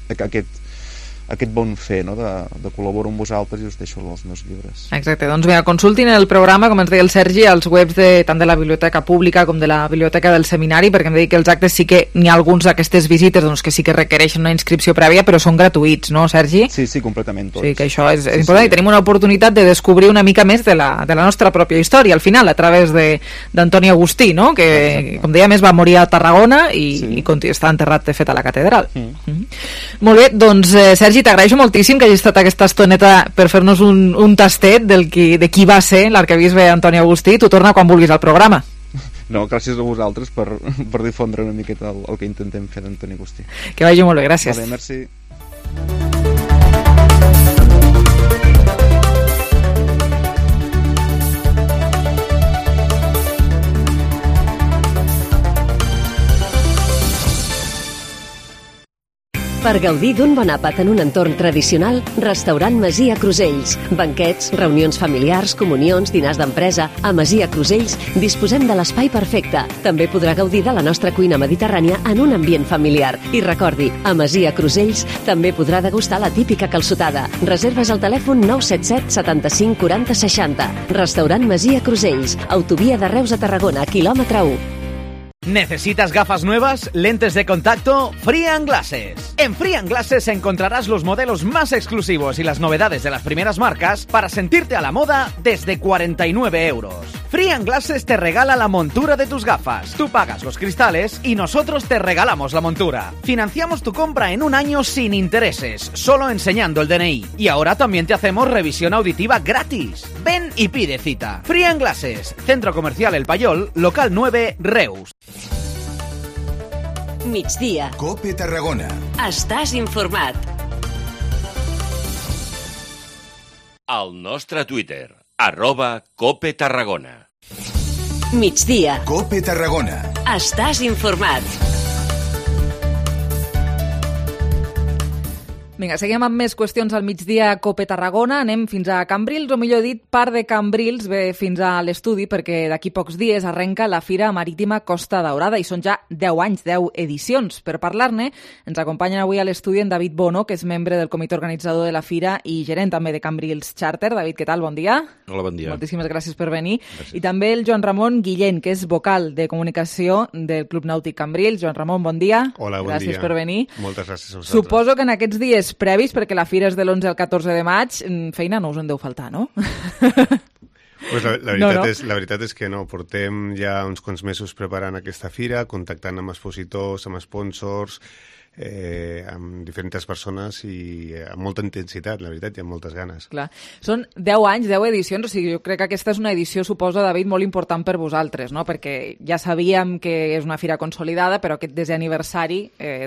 aquest bon fer, no? de col·laborar amb vosaltres i us deixo els meus llibres. Exacte, doncs mira, consultin el programa, com ens deia el Sergi, als webs tant de la Biblioteca Pública com de la Biblioteca del Seminari, perquè em deia que els actes sí que n'hi ha alguns d'aquestes visites doncs, que sí que requereixen una inscripció prèvia, però són gratuïts, no, Sergi? Sí, completament tots. Sí, que això és important, i tenim una oportunitat de descobrir una mica més de la nostra pròpia història, al final, a través d'Antoni Agustí, no? Que, com deia més, va morir a Tarragona i està enterrat, de fet, a la catedral. Molt bé, doncs, Sergi, t'agraeixo moltíssim que hagis estat aquesta estoneta per fer-nos un tastet de qui va ser l'arquebisbe Antoni Agustí. Tu torna quan vulguis al programa. No, gràcies a vosaltres per difondre una miqueta el que intentem fer d'Antoni Agustí. Que vagi molt bé, gràcies. Vale, merci. Per gaudir d'un bon àpat en un entorn tradicional, Restaurant Masia Crusells. Banquets, reunions familiars, comunions, dinars d'empresa... A Masia Crusells disposem de l'espai perfecte. També podrà gaudir de la nostra cuina mediterrània en un ambient familiar. I recordi, a Masia Crusells també podrà degustar la típica calçotada. Reserves al telèfon 977 75 40 60. Restaurant Masia Crusells. Autovia de Reus a Tarragona, quilòmetre 1. ¿Necesitas gafas nuevas? ¿Lentes de contacto? Free & Glasses. En Free & Glasses encontrarás los modelos más exclusivos y las novedades de las primeras marcas para sentirte a la moda desde 49 euros. Free & Glasses te regala la montura de tus gafas. Tú pagas los cristales y nosotros te regalamos la montura. Financiamos tu compra en un año sin intereses, solo enseñando el DNI. Y ahora también te hacemos revisión auditiva gratis. Ven y pide cita. Free & Glasses, Centro Comercial El Payol, local 9, Reus. Migdia. COPE Tarragona. Estàs informat. Al nostre Twitter, @COPE Tarragona. Migdia. COPE Tarragona. Estàs informat. Vinga, seguim amb més qüestions al migdia a Cope Tarragona. Anem fins a Cambrils, o millor dit, part de Cambrils ve fins a l'estudi perquè d'aquí pocs dies arrenca la Fira Marítima Costa Daurada i són ja 10 anys, 10 edicions. Per parlar-ne, ens acompanyen avui a l'estudi en David Bono, que és membre del comitè organitzador de la Fira i gerent també de Cambrils Charter. David, què tal? Bon dia. Hola, bon dia. Moltíssimes gràcies per venir. Gràcies. I també el Joan Ramon Guillén, que és vocal de comunicació del Club Nàutic Cambrils. Joan Ramon, bon dia. Hola, bon dia. Gràcies per venir. Moltes gràcies a vosaltres. Suposo que en aquests dies previs, perquè la fira és de l'11 al 14 de maig, feina no us en deu faltar, no? Pues la veritat és que no. Portem ja uns quants mesos preparant aquesta fira, contactant amb expositors, amb sponsors, amb diferents persones i amb molta intensitat, la veritat, i amb moltes ganes. Clar. Són 10 anys, 10 edicions, o sigui, jo crec que aquesta és una edició, suposo, David, molt important per vosaltres, no? Perquè ja sabíem que és una fira consolidada, però aquest 10è aniversari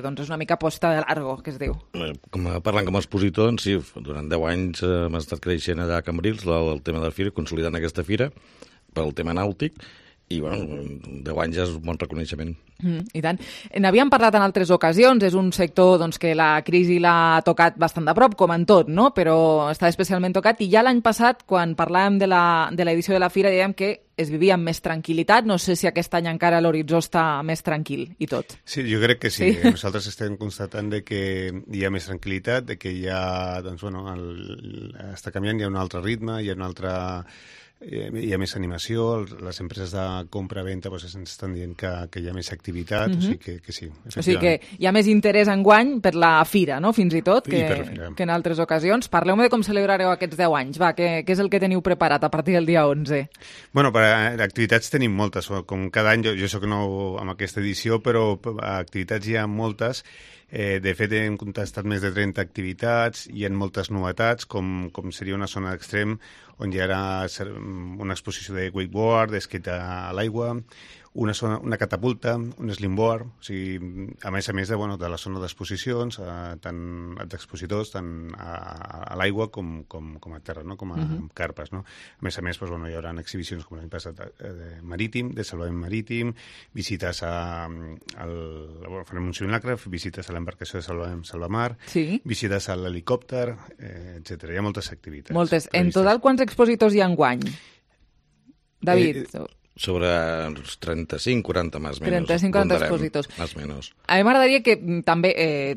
doncs és una mica posta de largo, que es diu. Parlant com a expositor, sí, durant 10 anys hem estat creixent allà a Cambrils el tema de la fira, consolidant aquesta fira pel tema nàutic, i bueno, 10 anys és un bon reconeixement. I tant. N'havíem parlat en altres ocasions, és un sector doncs, que la crisi l'ha tocat bastant de prop, com en tot, no? Però està especialment tocat, i ja l'any passat, quan parlàvem de l'edició de la fira, dèiem que es vivia amb més tranquil·litat. No sé si aquest any encara l'horitzó està més tranquil i tot. Sí, jo crec que sí. Nosaltres estem constatant de que hi ha més tranquil·litat, de que ja, doncs, bueno, està canviant, hi ha un altre ritme, hi ha un altre... hi ha més animació, les empreses de compra-venta ens estan dient que hi ha més activitat, o sigui que sí. O sigui que hi ha més interès enguany per la fira, no?, fins i tot, que en altres ocasions. Parleu-me de com celebrareu aquests 10 anys, va, què és el que teniu preparat a partir del dia 11? Bueno, activitats tenim moltes, com cada any, jo soc nou amb aquesta edició, però activitats hi ha moltes. De fet, hem contestat més de 30 activitats, hi ha moltes novetats, com seria una zona d'extrem on hi ha una exposició de wakeboard, d'esquí a l'aigua, una catapulta, un slimboard, o sigui, a més de la zona d'exposicions, tant d'expositors, tant a l'aigua com a terra, no? Com a carpes. No? A més, doncs, hi haurà exhibicions com l'any passat marítim, de salvament marítim, visites farem un simulacre, visites a l'embarcació de salvamar, visites a l'helicòpter, etc. Hi ha moltes activitats. Moltes. En total, quants expositors hi ha enguany? David? Sobre uns 35-40 més o menys. 35-40 expositors. Més o menys. A mi m'agradaria que també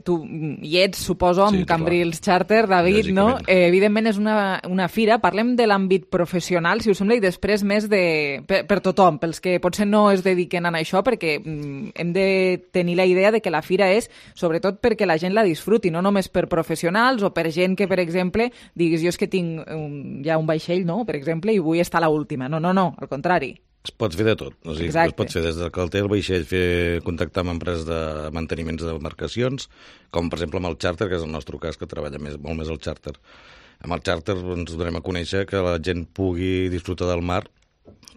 tu hi ets, suposo, amb Cambrils Charter, David, no? Evidentment és una fira. Parlem de l'àmbit professional, si us sembla, i després més per tothom, pels que potser no es dediquen a això, perquè hem de tenir la idea de que la fira és, sobretot, perquè la gent la disfruti, no només per professionals o per gent que, per exemple, diguis, jo és que tinc ja un vaixell, no?, per exemple, i vull estar a l'última. No, al contrari. Es pot fer de tot. O sigui, es pot fer des del que el té el vaixell, contactar amb empreses de manteniments d'embarcacions, com per exemple amb el Charter, que és el nostre cas, que treballa molt més el Charter. Amb el Charter ens donem a conèixer que la gent pugui disfrutar del mar,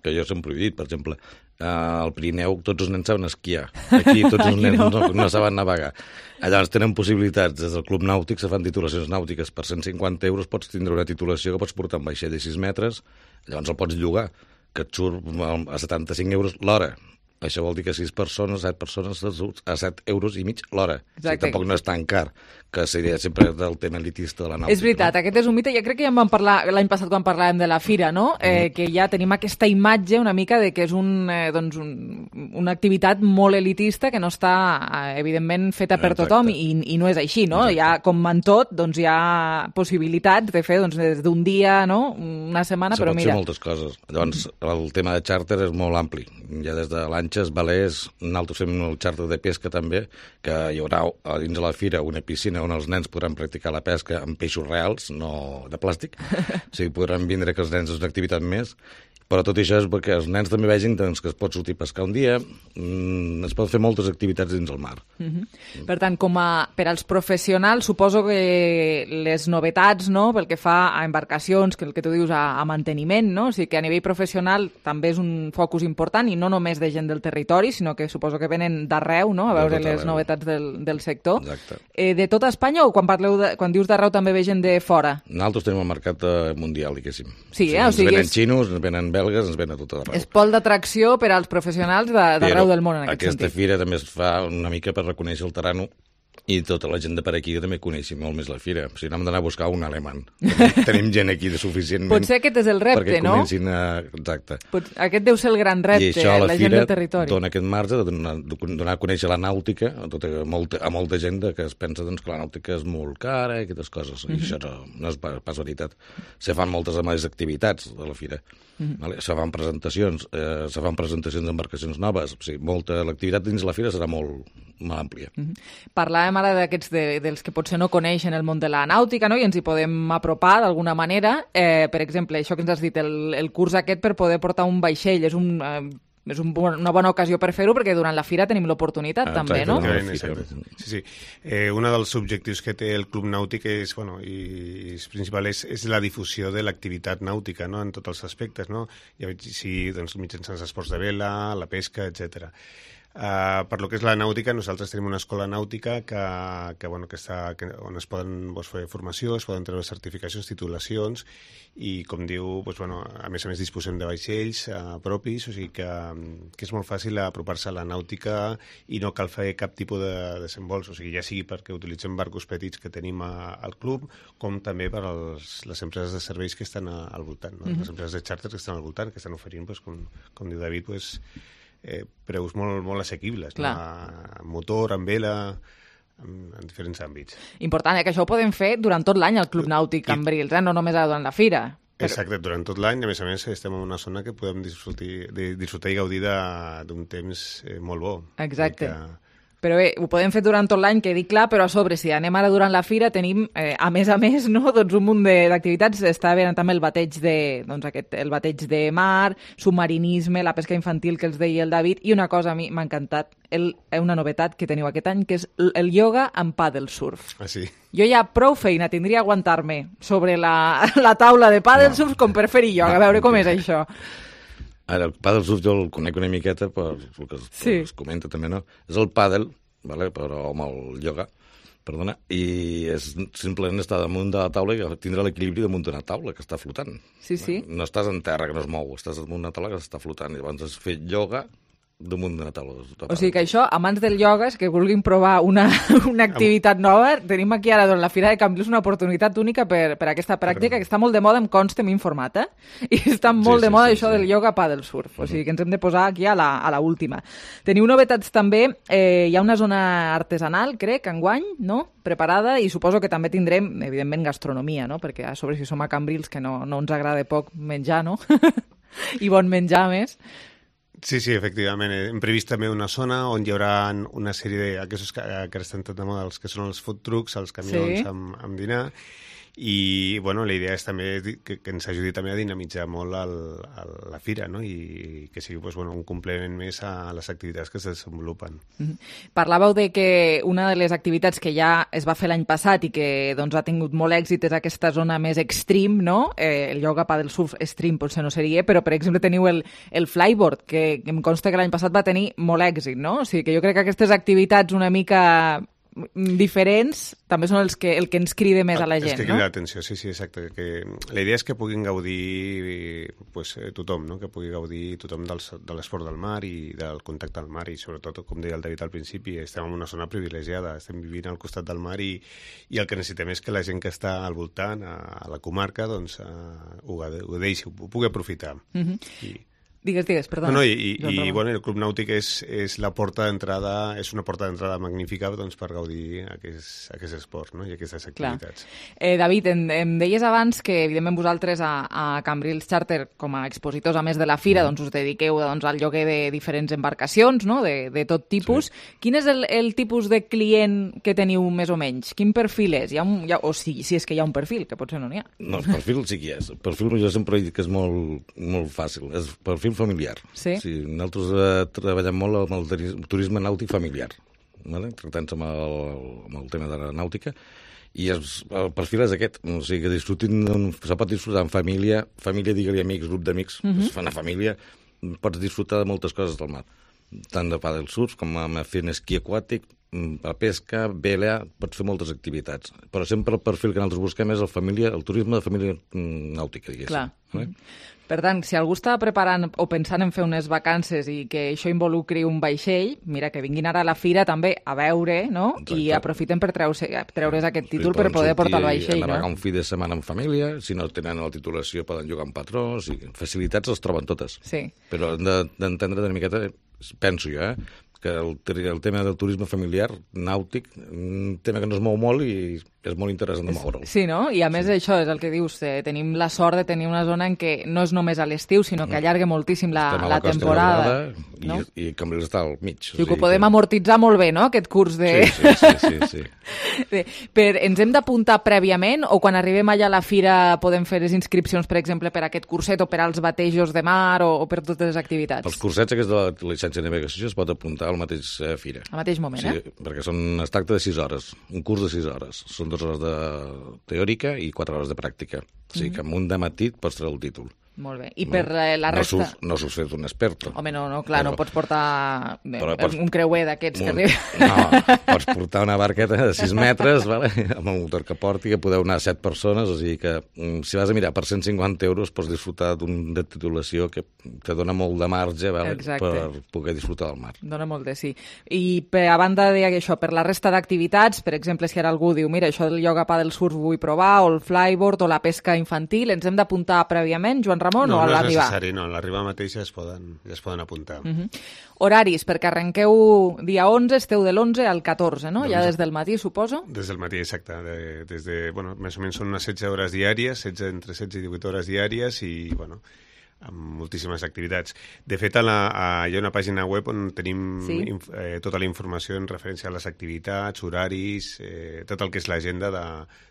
que jo sempre he dit, per exemple, al Pirineu tots els nens saben esquiar. Aquí tots els nens no saben navegar. Llavors tenen possibilitats. Des del Club Nàutic se fan titulacions nàutiques. Per 150 euros pots tindre una titulació que pots portar un vaixell de 6 metres, llavors el pots llogar, que et surt a 75 euros l'hora. Això vol dir que 6 persones, 7 persones, a 7 euros i mig l'hora. O sigui, tampoc no és tan car, que seria sempre del tema elitista de la nàutica. És veritat, aquest és un mite. Jo crec que ja en vam parlar l'any passat quan parlàvem de la fira, no? Que ja tenim aquesta imatge una mica de que és una activitat molt elitista que no està, evidentment, feta per tothom i no és així, no? Ja, com en tot, doncs hi ha possibilitats de fer des d'un dia, no?, una setmana, però mira... Se pot fer moltes coses. Llavors, el tema de xàrter és molt ampli. Ja des de lanxes, velers, nosaltres fem el xàrter de pesca també, que hi haurà dins de la fira una piscina on els nens podran practicar la pesca amb peixos reals, no de plàstic. O sigui, podran vindre que els nens és una activitat més. Però tot això és perquè els nens també vegin que es pot sortir a pescar un dia, es pot fer moltes activitats dins el mar. Per tant, per als professionals, suposo que les novetats, no?, pel que fa a embarcacions, que el que tu dius a manteniment, no?, o sigui que a nivell professional també és un focus important, i no només de gent del territori, sinó que suposo que venen d'arreu, no?, a veure les novetats del sector. Exacte. De tota Espanya, o quan dius d'arreu també ve gent de fora? Nosaltres tenim el mercat mundial, diguéssim. Sí, o sigui, ens venen xinos, ens venen belgues, ens ven a tot arreu. És pol d'atracció per als professionals d'arreu del món, en aquest sentit. Aquesta fira també es fa una mica per reconèixer el terreno I tota la gent de per aquí també coneixi molt més la fira. O sigui, no hem d'anar a buscar un alemany. Tenim gent aquí de suficientment... Potser aquest és el repte, no? Perquè comencin a... Exacte. Aquest deu ser el gran repte, la gent del territori. I això a la fira dona aquest marge de donar a conèixer la nàutica a molta gent que es pensa que la nàutica és molt cara i aquestes coses. I això no és pas veritat. Se fan moltes més activitats a la fira. Se fan presentacions d'embarcacions noves. O sigui, l'activitat dins la fira serà molt àmplia. Parlàvem ara d'aquests dels que potser no coneixen el món de la nàutica, no? I ens hi podem apropar d'alguna manera. Per exemple, això que ens has dit, el curs aquest per poder portar un vaixell és una bona ocasió per fer-ho, perquè durant la fira tenim l'oportunitat també, no? Sí. Un dels objectius que té el Club Nàutic és, i és principal, és la difusió de l'activitat nàutica, no?, en tots els aspectes, no? Sí, mitjançant els esports de vela, la pesca, etcètera. Per lo que és la nàutica, nosaltres tenim una escola nàutica on es poden fer formació, es poden treure certificacions, titulacions, i com diu, a més disposem de vaixells propis, o sigui que és molt fàcil apropar-se a la nàutica i no cal fer cap tipus de desembols, o sigui, ja sigui perquè utilitzem barcos petits que tenim al club, com també per les empreses de serveis que estan al voltant, no? Les empreses de xàrter que estan al voltant, que estan oferint, com diu David, preus molt assequibles, no? Amb motor, amb vela, en diferents àmbits. Important, que això ho podem fer durant tot l'any al Club Nàutic Cambrils, no només durant la fira. Exacte, durant tot l'any, a més estem en una zona que podem disfrutar i gaudir d'un temps molt bo. Exacte. Però bé, ho podem fer durant tot l'any, quedi clar, però a sobre, si anem ara durant la fira, tenim, a més, no, doncs un munt d'activitats. Està bé també el bateig de mar, submarinisme, la pesca infantil que els deia el David, i una cosa a mi m'ha encantat, una novetat que teniu aquest any, que és el ioga amb paddle surf. Ah, sí? Jo ja prou feina tindria aguantar-me sobre la taula de paddle surf com per fer ioga, a veure com és això. Ara, el paddle surf jo el conec una miqueta per el que es comenta també, no? És el paddle, però amb el ioga, perdona, i és simplement estar damunt de la taula i tindre l'equilibri damunt d'una taula que està flotant. Sí. No estàs en terra que no es mou, estàs damunt d'una taula que està flotant, i llavors has fet ioga damunt d'una taula. O sigui que això, amants del ioga, que vulguin provar una activitat nova, tenim aquí ara la Fira de Cambrils una oportunitat única per aquesta pràctica, que està molt de moda, em consta, m'he informat, i està molt de moda això del ioga paddle surf, o sigui que ens hem de posar aquí a la última. Teniu novetats també, hi ha una zona artesanal, crec, enguany, no?, preparada, i suposo que també tindrem, evidentment, gastronomia, no?, perquè a sobre si som a Cambrils, que no ens agrada poc menjar, no?, i bon menjar més. Sí, efectivament. Hem previst també una zona on hi haurà una sèrie d'aquests que estan tot de moda, els que són els food trucks, els camions amb dinar, i la idea és també que ens ajudi també a dinamitzar molt la fira, no? I que sigui un complement més a les activitats que es desenvolupen. Parlàveu de que una de les activitats que ja es va fer l'any passat i que ha tingut molt èxit és aquesta zona més extreme, no? El ioga paddle surf extreme potser no seria, però per exemple teniu el flyboard, que em consta que l'any passat va tenir molt èxit, no? O sigui que jo crec que aquestes activitats una mica diferents també són el que ens crida més a la gent, no? És que crida l'atenció, sí, exacte. La idea és que puguin gaudir tothom, no? Que pugui gaudir tothom de l'esport del mar i del contacte al mar, i sobretot, com deia el David al principi, estem en una zona privilegiada, estem vivint al costat del mar, i el que necessitem és que la gent que està al voltant, a la comarca, ho deixi, ho pugui aprofitar. Digues, perdona. No, i el Club Nàutic és la porta d'entrada, és una porta d'entrada magnífica per gaudir aquest esport, no? I aquestes activitats. David, em deies abans que, evidentment, vosaltres a Cambrils Charter, com a expositors a més de la fira, us dediqueu al lloguer de diferents embarcacions, no?, de tot tipus. Quin és el tipus de client que teniu més o menys? Quin perfil és? O si és que hi ha un perfil, que potser no n'hi ha. No, el perfil sí que hi és. El perfil jo sempre he dit que és molt fàcil. És perfil familiar. Sí. Nosaltres treballem molt amb el turisme nàutic familiar, tractant-se amb el tema de la nàutica, i el perfil és aquest, o sigui que se pot disfrutar en família, digue-li amics, grup d'amics, es fa una família, pots disfrutar de moltes coses del mar. tant de pàdel surf com fent esquí aquàtic, a pesca, vela, pots fer moltes activitats. Però sempre el perfil que nosaltres busquem és el turisme de família nàutica, diguéssim. Clar. Per tant, si algú està preparant o pensant en fer unes vacances i que això involucri un vaixell, mira, que vinguin ara a la fira també a veure, no? Exacte. I aprofiten per treure's aquest títol per poder portar el vaixell, no? Navegar un fi de setmana en família, si no tenen la titulació poden llogar un patró, facilitats les troben totes. Sí. Però han d'entendre una miqueta, penso jo, que el tema del turisme familiar nàutic, un tema que no es mou molt i és molt interessant de moure'l. Sí, no? I a més això és el que dius, tenim la sort de tenir una zona en què no és només a l'estiu, sinó que allarga moltíssim la temporada. I Cambrils està al mig. O sigui que ho podem amortitzar molt bé, no?, aquest curs de... Sí. Ens hem d'apuntar prèviament o quan arribem allà a la fira podem fer les inscripcions, per exemple, per aquest curset o per als batejos de mar o per totes les activitats? Els cursets aquests de la llicència de navegació es pot apuntar al mateix fira. Al mateix moment, perquè es tracta de 6 hores, un curs de 6 hores. Són 2 hores de teòrica i 4 hores de pràctica. O sigui que en un dematí pots treure el títol. Molt bé. I per la resta... No s'ho fet un experto. Home, no, clar, no pots portar un creuer d'aquests que arriba. No, pots portar una barqueta de 6 metres, amb el motor que porti, que podeu anar 7 persones, o sigui que si vas a mirar per 150 euros pots disfrutar de titulació que te dona molt de marge per poder disfrutar del mar. Dona molt de sí. I a banda d'això, per la resta d'activitats, per exemple, si ara algú diu, mira, això del ioga pàdel surf vull provar, o el flyboard, o la pesca infantil, ens hem d'apuntar prèviament, Joan Ramon, no, o a l'arribar? No és necessari, no. A l'arribar mateix ja es poden apuntar. Horaris, perquè arrenqueu dia 11, esteu de l'11 al 14, no? Ja des del matí, suposo? Des del matí, exacte. Més o menys són unes 16 hores diàries, entre 16 i 18 hores diàries i, amb moltíssimes activitats. De fet, hi ha una pàgina web on tenim tota la informació en referència a les activitats, horaris, tot el que és l'agenda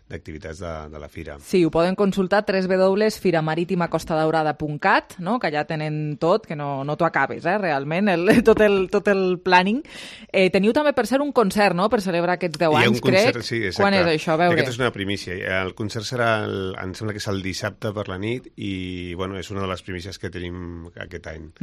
d'activitats de la fira. Sí, ho poden consultar www.firamarítimacostadaurada.cat, no? Que allà tenen tot, que no t'ho acabes, realment, tot el planning. Teniu també, per ser, un concert, no?, per celebrar aquests 10 anys, crec. Sí, exacte. Quan és això? A veure. Aquesta és una primícia. El concert serà, em sembla que és el dissabte per la nit i, és una de les primícies que tenim aquest any.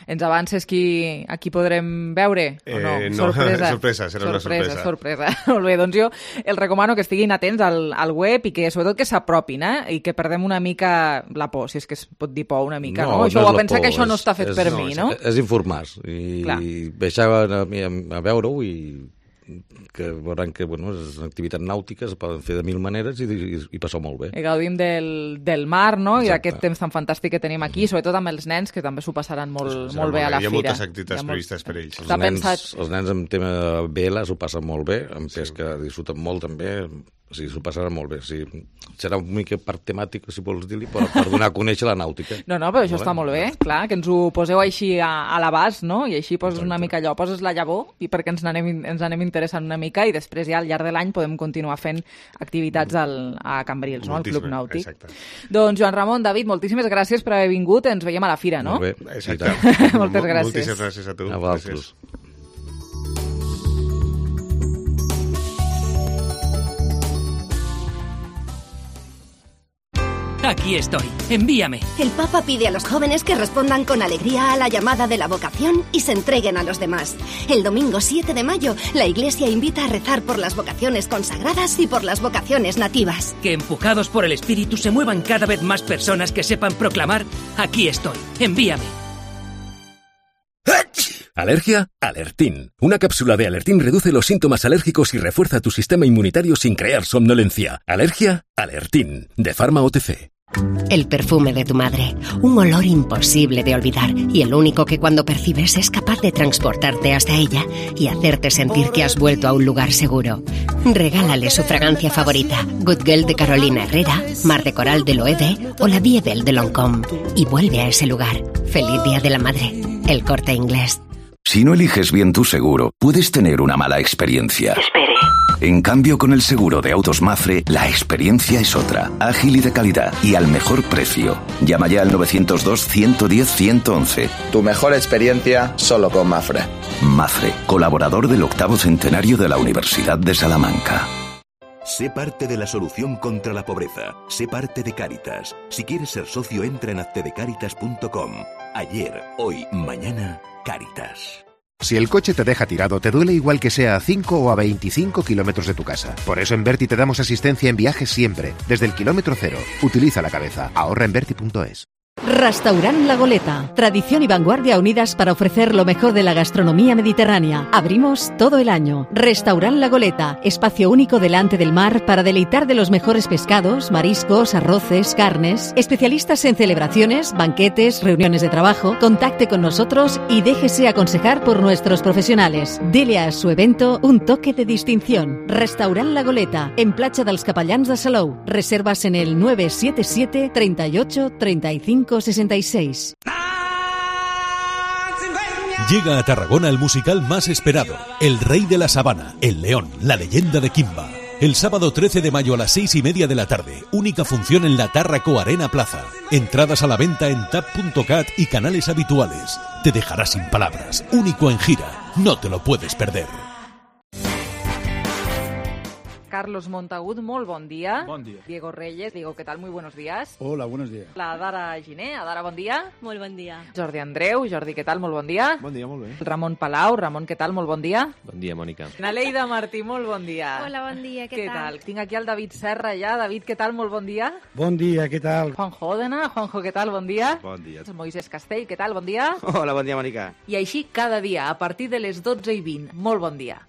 Ens avances a qui podrem veure? O no? Sorpresa, serà una sorpresa. Sorpresa. Molt bé, doncs jo els recomano que estiguin atents al web i que sobretot que s'apropin, i que perdem una mica la por, si és que es pot dir por una mica, no? Això ho va pensar que això no està fet per mi, no? És informar i deixar a veure-ho i que veuran que és una activitat nàutica, es poden fer de 1000 maneres i passar molt bé. I gaudim del mar, no? I d'aquest temps tan fantàstic que tenim aquí, sobretot amb els nens, que també s'ho passaran molt bé a la fira. Hi ha moltes activitats previstes per ells. Els nens en tema de vela s'ho passen molt bé, en pesca disfruten molt també, o sigui, s'ho passaran molt bé. O sigui, serà una mica part temàtica, si vols dir-li, per donar a conèixer la nàutica. No, però això està molt bé, clar, que ens ho poseu així a l'abast, no? I així poses una mica allò, poses la llavor, i perquè ens anem interessant una mica, i després ja al llarg de l'any podem continuar fent activitats a Cambrils, no?, al Club Nàutic. Exacte. Doncs Joan Ramon, David, moltíssimes gràcies per haver vingut, ens veiem a la fira, no? Molt bé, exacte. Moltes gràcies. Moltíssimes gràcies a tu. A vosaltres. Aquí estoy. Envíame. El Papa pide a los jóvenes que respondan con alegría a la llamada de la vocación y se entreguen a los demás. El domingo 7 de mayo, la Iglesia invita a rezar por las vocaciones consagradas y por las vocaciones nativas. Que empujados por el Espíritu se muevan cada vez más personas que sepan proclamar: aquí estoy. Envíame. ¿Alergia? Alertín. Una cápsula de Alertín reduce los síntomas alérgicos y refuerza tu sistema inmunitario sin crear somnolencia. ¿Alergia? Alertín. De Pharma OTC. El perfume de tu madre, un olor imposible de olvidar y el único que cuando percibes es capaz de transportarte hasta ella y hacerte sentir que has vuelto a un lugar seguro. Regálale su fragancia favorita, Good Girl de Carolina Herrera, Mar de Coral de Loewe o La Vie Belle de Lancôme y vuelve a ese lugar. Feliz Día de la Madre, El Corte Inglés. Si no eliges bien tu seguro, puedes tener una mala experiencia. Espere. En cambio, con el seguro de autos Mafre, la experiencia es otra, ágil y de calidad, y al mejor precio. Llama ya al 902-110-111. Tu mejor experiencia solo con Mafre. Mafre, colaborador del 8º centenario de la Universidad de Salamanca. Sé parte de la solución contra la pobreza. Sé parte de Cáritas. Si quieres ser socio, entra en haztedecaritas.com. Ayer, hoy, mañana, Cáritas. Si el coche te deja tirado, te duele igual que sea a 5 o a 25 kilómetros de tu casa. Por eso en Berti te damos asistencia en viajes siempre, desde el kilómetro cero. Utiliza la cabeza. Ahorra en Berti.es. Restaurant La Goleta. Tradición y vanguardia unidas para ofrecer lo mejor de la gastronomía mediterránea. Abrimos todo el año. Restaurant La Goleta. Espacio único delante del mar para deleitar de los mejores pescados, mariscos, arroces, carnes. Especialistas en celebraciones, banquetes, reuniones de trabajo. Contacte con nosotros y déjese aconsejar por nuestros profesionales. Dele a su evento un toque de distinción. Restaurant La Goleta. En Platja dels Capellans de Salou. Reservas en el 977 38 35 66. Llega a Tarragona el musical más esperado, El Rey de la Sabana, El León, la leyenda de Kimba. El sábado 13 de mayo a las 6:30 de la tarde, única función en la Tárraco Arena Plaza. Entradas a la venta en tap.cat y canales habituales. Te dejará sin palabras, único en gira, no te lo puedes perder. Carlos Montagut, molt bon dia. Bon dia. Diego Reyes, Diego, ¿qué tal? Muy buenos días. Hola, buenos días. La Dara Giné, Adara, bon dia. Molt bon dia. Jordi Andreu, Jordi, què tal? Molt bon dia. Bon dia, molt bé. Ramon Palau, Ramon, què tal? Molt bon dia. Bon dia, Mònica. Naleida Martí, molt bon dia. Hola, bon dia, què tal? Tinc aquí el David Serra ja. David, què tal? Molt bon dia. Bon dia, què tal? Juanjo Òdena, Juanjo, què tal? Bon dia. Bon dia. Moisés Castell, què tal? Bon dia. Hola, bon dia, Mònica. I així cada dia, a partir de les 12:20. Molt bon dia.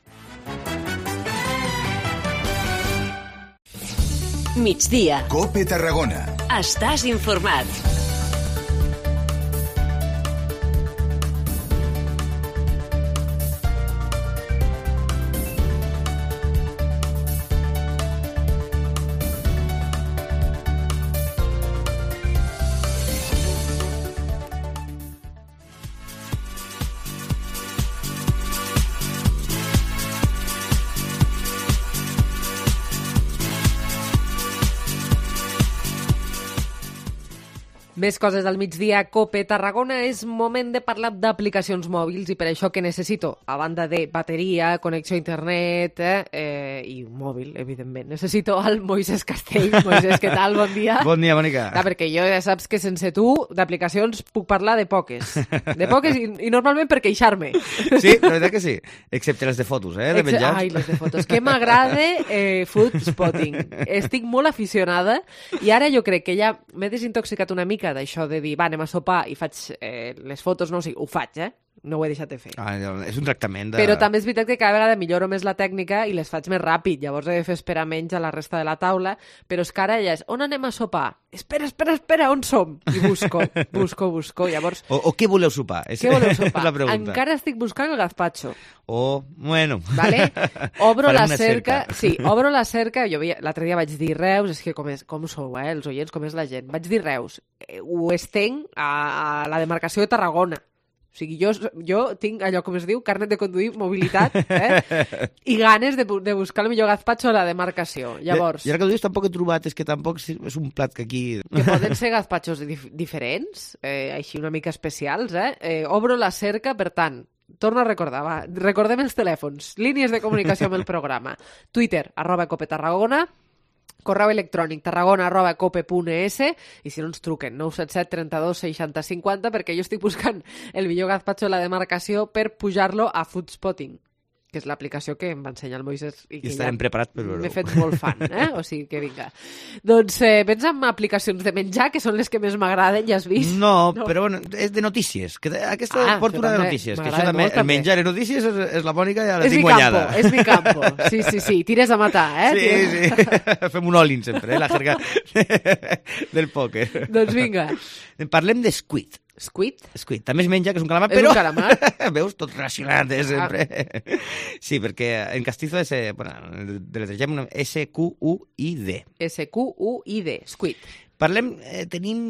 Migdia. COPE Tarragona. Estàs informat. Més coses al migdia. COPE Tarragona, és moment de parlar d'aplicacions mòbils i per això que necessito, a banda de bateria, connexió a internet i un mòbil, evidentment, necessito el Moisés Castell. Moisés, què tal? Bon dia. Bon dia, Mònica. Perquè jo ja saps que sense tu d'aplicacions puc parlar de poques. De poques i normalment per queixar-me. Sí, la veritat que sí. Excepte les de fotos, de menjars. Ai, les de fotos. Que m'agrada food spotting. Estic molt aficionada i ara jo crec que ja m'he desintoxicat una mica d'això de dir, va, anem a sopar i faig les fotos, no, o sigui, ho faig, no ho he deixat de fer. És un tractament de... Però també és veritat que cada vegada milloro més la tècnica i les faig més ràpid, llavors he de fer esperar menys a la resta de la taula, però és que ara ja és, on anem a sopar? Espera, on som? I busco, llavors... O què voleu sopar? Què voleu sopar? La pregunta. Encara estic buscant el gazpacho. Bueno... Vale? Obro la cerca. Sí, obro la cerca. Jo l'altre dia vaig dir Reus, és que com sou, els oients, com és la gent. Vaig dir Reus. Ho estenc a la demarcació de Tarragona. O sigui, jo tinc allò, com es diu, carnet de conduir, mobilitat, i ganes de buscar el millor gazpacho a la demarcació. Llavors... I ara que ho dius, tampoc he trobat, és que tampoc és un plat que aquí... Que poden ser gazpachos diferents, així una mica especials, Obro la cerca, per tant, torno a recordar, va, recordem els telèfons, línies de comunicació amb el programa. Twitter, @copetarragona, correu electrònic tarragona@cope.es i si no ens truquen 977 32 60 50 perquè jo estic buscant el millor gazpacho de la demarcació per pujar-lo a Foodspotting, que és l'aplicació que em va ensenyar el Moisés i que estarem preparats per veure-ho. M'he fet molt fan, o sigui que vinga. Doncs vens amb aplicacions de menjar, que són les que més m'agraden, ja has vist? No, però bueno, és de notícies. Aquesta porta una de notícies, que això també, el menjar i notícies és la Mònica, ja la tinc guanyada. És mi campo, sí, tires a matar, Sí, fem un all-in sempre, la jerga del pòquer. Doncs vinga. Parlem de Squid. Squid? També es menja, que és un calamar, però... És un calamar? Veus? Tot relacionat, sempre. Sí, perquè en castizo deletregem S-Q-U-I-D. S-Q-U-I-D, Squid. Parlem, tenim...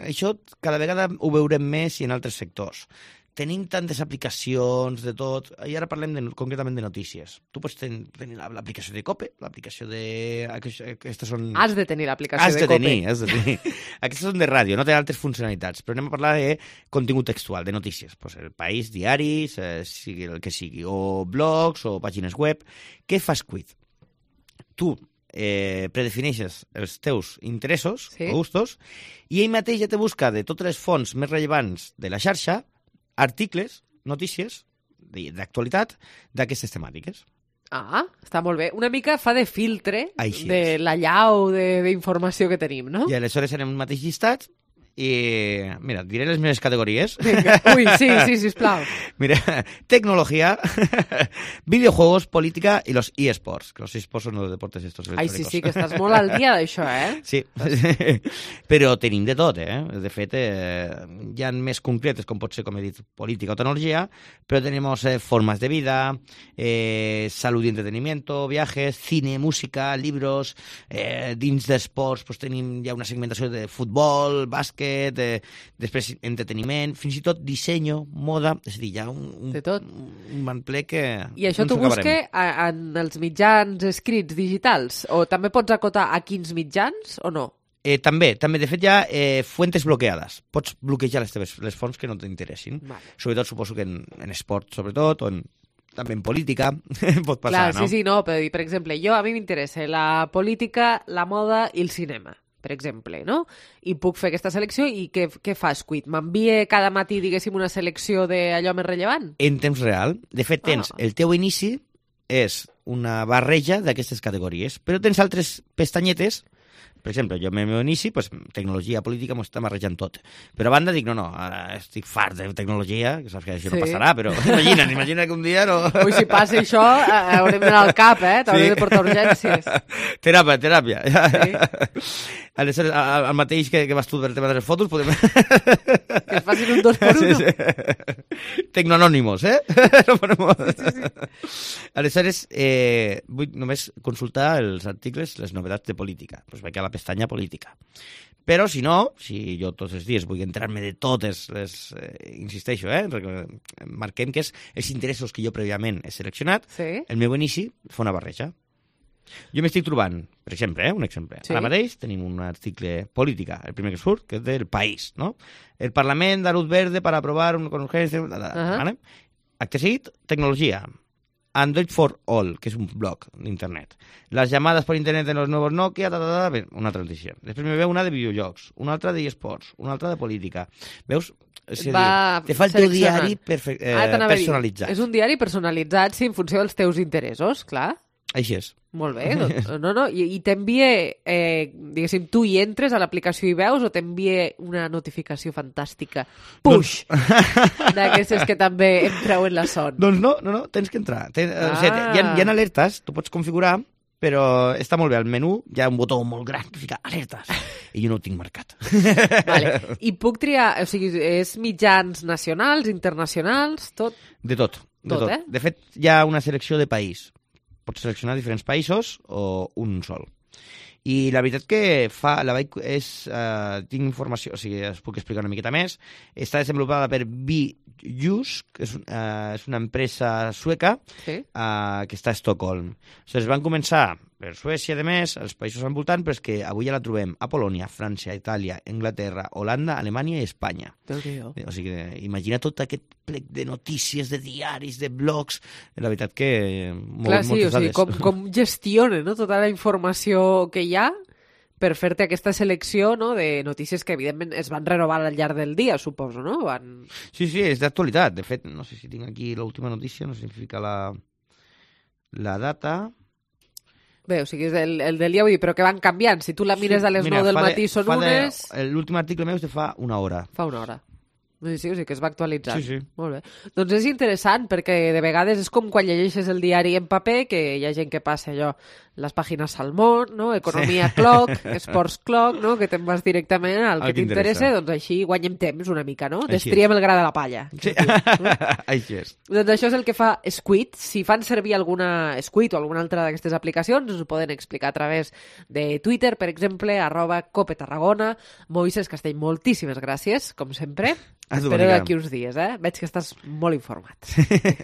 Això cada vegada ho veurem més i en altres sectors. Tenim tantes aplicacions de tot, i ara parlem concretament de notícies. Tu pots tenir l'aplicació de COPE, l'aplicació de... Aquestes són... Has de tenir l'aplicació de COPE. Has de tenir. Aquestes són de ràdio, no tenen altres funcionalitats, però anem a parlar de contingut textual, de notícies. Pues El País, diaris, sigui el que sigui, o blogs, o pàgines web. Què fa Squid? Tu predefineixes els teus interessos o gustos i ell mateix ja te busca de totes les fonts més rellevants de la xarxa articles, notícies d'actualitat d'aquestes temàtiques. Ah, està molt bé. Una mica fa de filtre Així de la llau d'informació que tenim, no? I aleshores en un mateix llistat i, mira, diré les meves categories. Vinga. Ui, sí, sisplau. Mira, tecnología, videojuegos, política y los eSports, que los eSports son los deportes estos electrónicos. Ai, sí, que estàs molt al dia d'això, Sí, però tenim de tot, De fet, hi ha més concretes, com pot ser, com he dit, política o tecnologia, però tenim formas de vida, salud y entretenimiento, viajes, cine, música, libros, dins d'esports pues, tenim ja una segmentació de futbol, bàsquet, després entreteniment, fins i tot disseny, moda, és a dir, hi ha un manple que... I això t'ho busques en els mitjans escrits digitals? O també pots acotar a quins mitjans o no? També. De fet, hi ha fuentes bloqueades. Pots bloquejar les fonts que no t'interessin. Vale. Sobretot, suposo que en esport, sobretot, o també en política, pot passar, no? Sí, no, però, per exemple, a mi m'interessa la política, la moda i el cinema, per exemple, no? I puc fer aquesta selecció i què fa Squid? M'envia cada matí, diguéssim, una selecció d'allò més rellevant? En temps real. De fet, tens el teu inici és una barreja d'aquestes categories, però tens altres pestanyetes. Per exemple, jo en el meu inici, pues, tecnologia, política, m'ho està barrejant tot. Però a banda dic, no, ara estic fart de tecnologia, que saps que això no passarà, però imagina que un dia no... Ui, si passa això, haurem d'anar al cap, t'haurem de portar urgències. Teràpia. Sí. Aleshores, el mateix que vas tu del tema de les fotos, podem... Que es facin un 2x1. Sí. Tecnoanònimos, Sí. Aleshores, vull només consultar els articles, les novetats de política. Doncs vaig a la pestanya política. Però, si no, si jo tots els dies vull entrar-me de totes les... insisteixo, marquem que és els interessos que jo prèviament he seleccionat, el meu inici fa una barreja. Jo m'estic trobant, per exemple, un exemple. Ara mateix tenim un article política, el primer que surt, que és del País, no? El Parlament da luz verde para aprobar un urgencia... ¿vale? Acte seguit, tecnologia. Android for All, que és un blog d'internet. Les llamades per internet en els nous Nokia, una altra notícia. Després me veu una de videojocs, una altra de eSports, una altra de política. Veus? Te fa el teu diari personalitzat. És un diari personalitzat, sí, en funció dels teus interessos, clar. Així és. Molt bé, doncs, no. I t'envia, diguéssim, tu hi entres a l'aplicació i veus o t'envia una notificació fantàstica, push, d'aquestes que també em treuen la son? Doncs no, tens que entrar. O sigui, hi ha alertes, tu pots configurar, però està molt bé, al menú hi ha un botó molt gran que fica alertes, i jo no ho tinc marcat. Vale. I puc triar, o sigui, és mitjans nacionals, internacionals, tot? De tot. De fet, hi ha una selecció de país. Pots seleccionar diferents països o un sol. I la veritat que tinc informació, o sigui, es puc explicar una miqueta més. Està desenvolupada per Byju's, que és una empresa sueca que està a Estocolm. Es van començar per Suècia, a més, els països al voltant, però és que avui ja la trobem a Polònia, França, Itàlia, Anglaterra, Holanda, Alemanya i Espanya. O sigui, imagina tot aquest plec de notícies, de diaris, de blogs, la veritat que moltes dades. Com gestiona tota la informació que hi ha per fer-te aquesta selecció de notícies que, evidentment, es van renovar al llarg del dia, suposo, no? Sí, és d'actualitat. De fet, no sé si tinc aquí l'última notícia, no sé si fica la data... Bé, o sigui, és el del dia, vull dir, però que van canviant. Si tu la mires a les 9 del matí són unes... L'últim article meu és de fa una hora. Fa una hora. Sí, o sigui que es va actualitzant. Sí. Molt bé. Doncs és interessant, perquè de vegades és com quan llegeixes el diari en paper, que hi ha gent que passa allò, les pàgines Salmón, no? Economia Clock, Esports Clock, no? Que te'n vas directament al que t'interessa, doncs així guanyem temps una mica, no? Destriem el gra de la palla. Sí, així és. Doncs això és el que fa Squid. Si fan servir alguna Squid o alguna altra d'aquestes aplicacions, us ho poden explicar a través de Twitter, per exemple, @CopeTarragona. Moisés Castell, moltíssimes gràcies, com sempre. Espero d'aquí uns dies, Veig que estàs molt informat.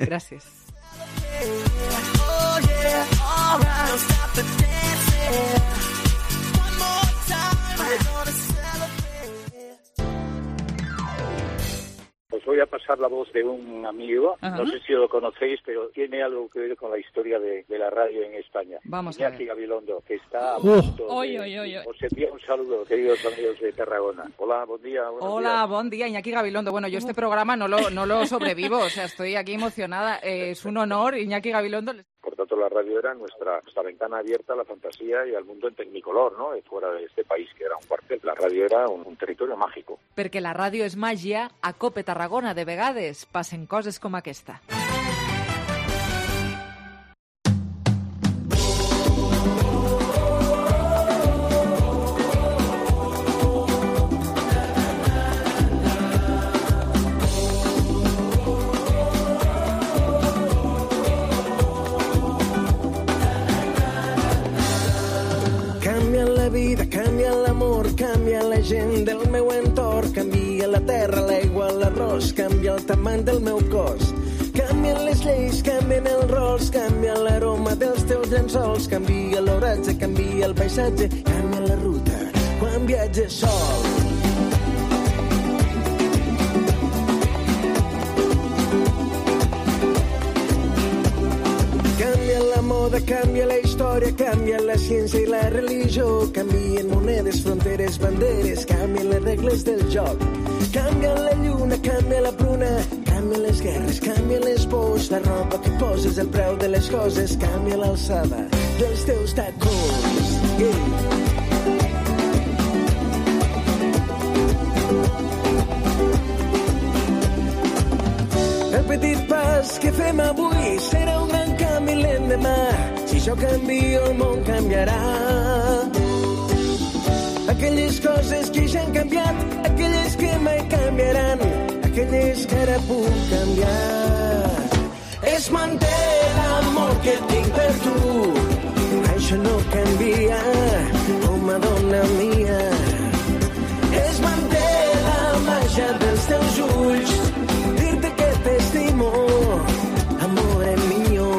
Gràcies. os voy a pasar la voz de un amigo, no sé si lo conocéis, pero tiene algo que ver con la historia de la radio en España. Vamos a ver. Iñaki Gabilondo, que está a punto Oi. Os envío un saludo, queridos amigos de Tarragona. Hola, buen día. Hola, buen día, Iñaki Gabilondo. Bueno, yo este programa no lo sobrevivo, o sea, estoy aquí emocionada. Es un honor, Iñaki Gabilondo. Por tanto, la radio era nuestra ventana abierta a la fantasía y al mundo en tecnicolor, ¿no? Fuera de este país, que era un cuartel. La radio era un territorio mágico. Perquè la ràdio és màgia, a Cope Tarragona de vegades passen coses com aquesta. Canvia la vida, canvia l'amor, canvia la gent del meu entorn, canvia la terra, l'aigua, l'arròs, canvia el tamany del meu cos. Canvien les lleis, canvien els rols, canvia l'aroma dels teus llençols, canvia l'oratge, canvia el paisatge, canvia la ruta quan viatges sol. Canvia la moda, canvia la història, canvia la ciència i la religió, canvien monedes, fronteres, banderes, canvien les regles del joc. Canvia la lluna, canvia la pruna, canvien les guerres, canvien les pors, la roba que poses, el preu de les coses, canvia l'alçada dels teus tacons. El petit pas que fem avui serà un gran canvi l'endemà. Si jo canvio, el món canviarà. Aquelles coses que ja han canviat, aquelles que mai canviaran, aquelles que ara puc canviar. Es manté l'amor que tinc per tu, això no canvia, home, dona mia. Es manté la màgia dels teus ulls, dir-te que t'estimo, amore mio.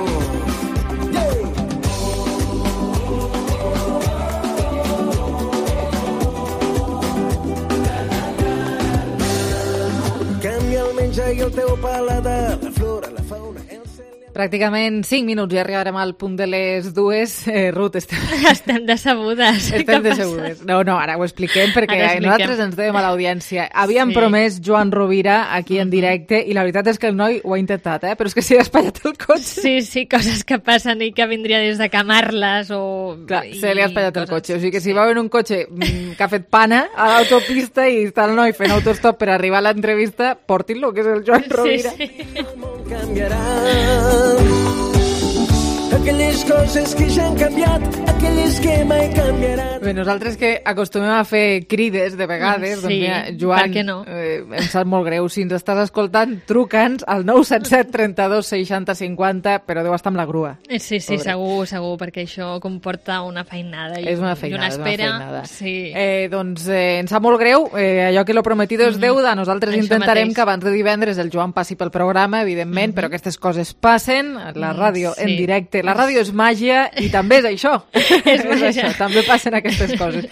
Canvia el menjar i el teu paladar, la flora, la fauna, el cel... Pràcticament 5 minuts i arribarem al punt de les 2. Ruth, estem decebudes. Estem decebudes. No, ara ho expliquem perquè nosaltres ens dèiem a l'audiència. Havíem promès Joan Rovira aquí en directe i la veritat és que el noi ho ha intentat, però és que s'hi ha espatllat el cotxe. Sí, coses que passen i que vindria des de Camarles o... Clar, se li ha espatllat el cotxe. O sigui que si va en un cotxe que ha fet pana a l'autopista i està el noi fent autostop per arribar a l'entrevista, portin-lo, que és el Joan Rovira. Canviarà. Aquelles coses que ja han canviat, aquelles que mai canviaran. Bé, nosaltres que acostumem a fer crides de vegades, doncs mira, Joan, per què no? Em sap molt greu. Si ens estàs escoltant, truca'ns al 977 32 60 50, però deu estar amb la grua. Sí, segur, perquè això comporta una feinada. És una feinada, una espera. Sí. Doncs ens sap molt greu, allò que lo prometido és deuda. Nosaltres intentarem que abans de divendres el Joan passi pel programa, evidentment, però aquestes coses passen, la ràdio en directe. La ràdio és màgia i també és això. És això, també passen aquestes coses.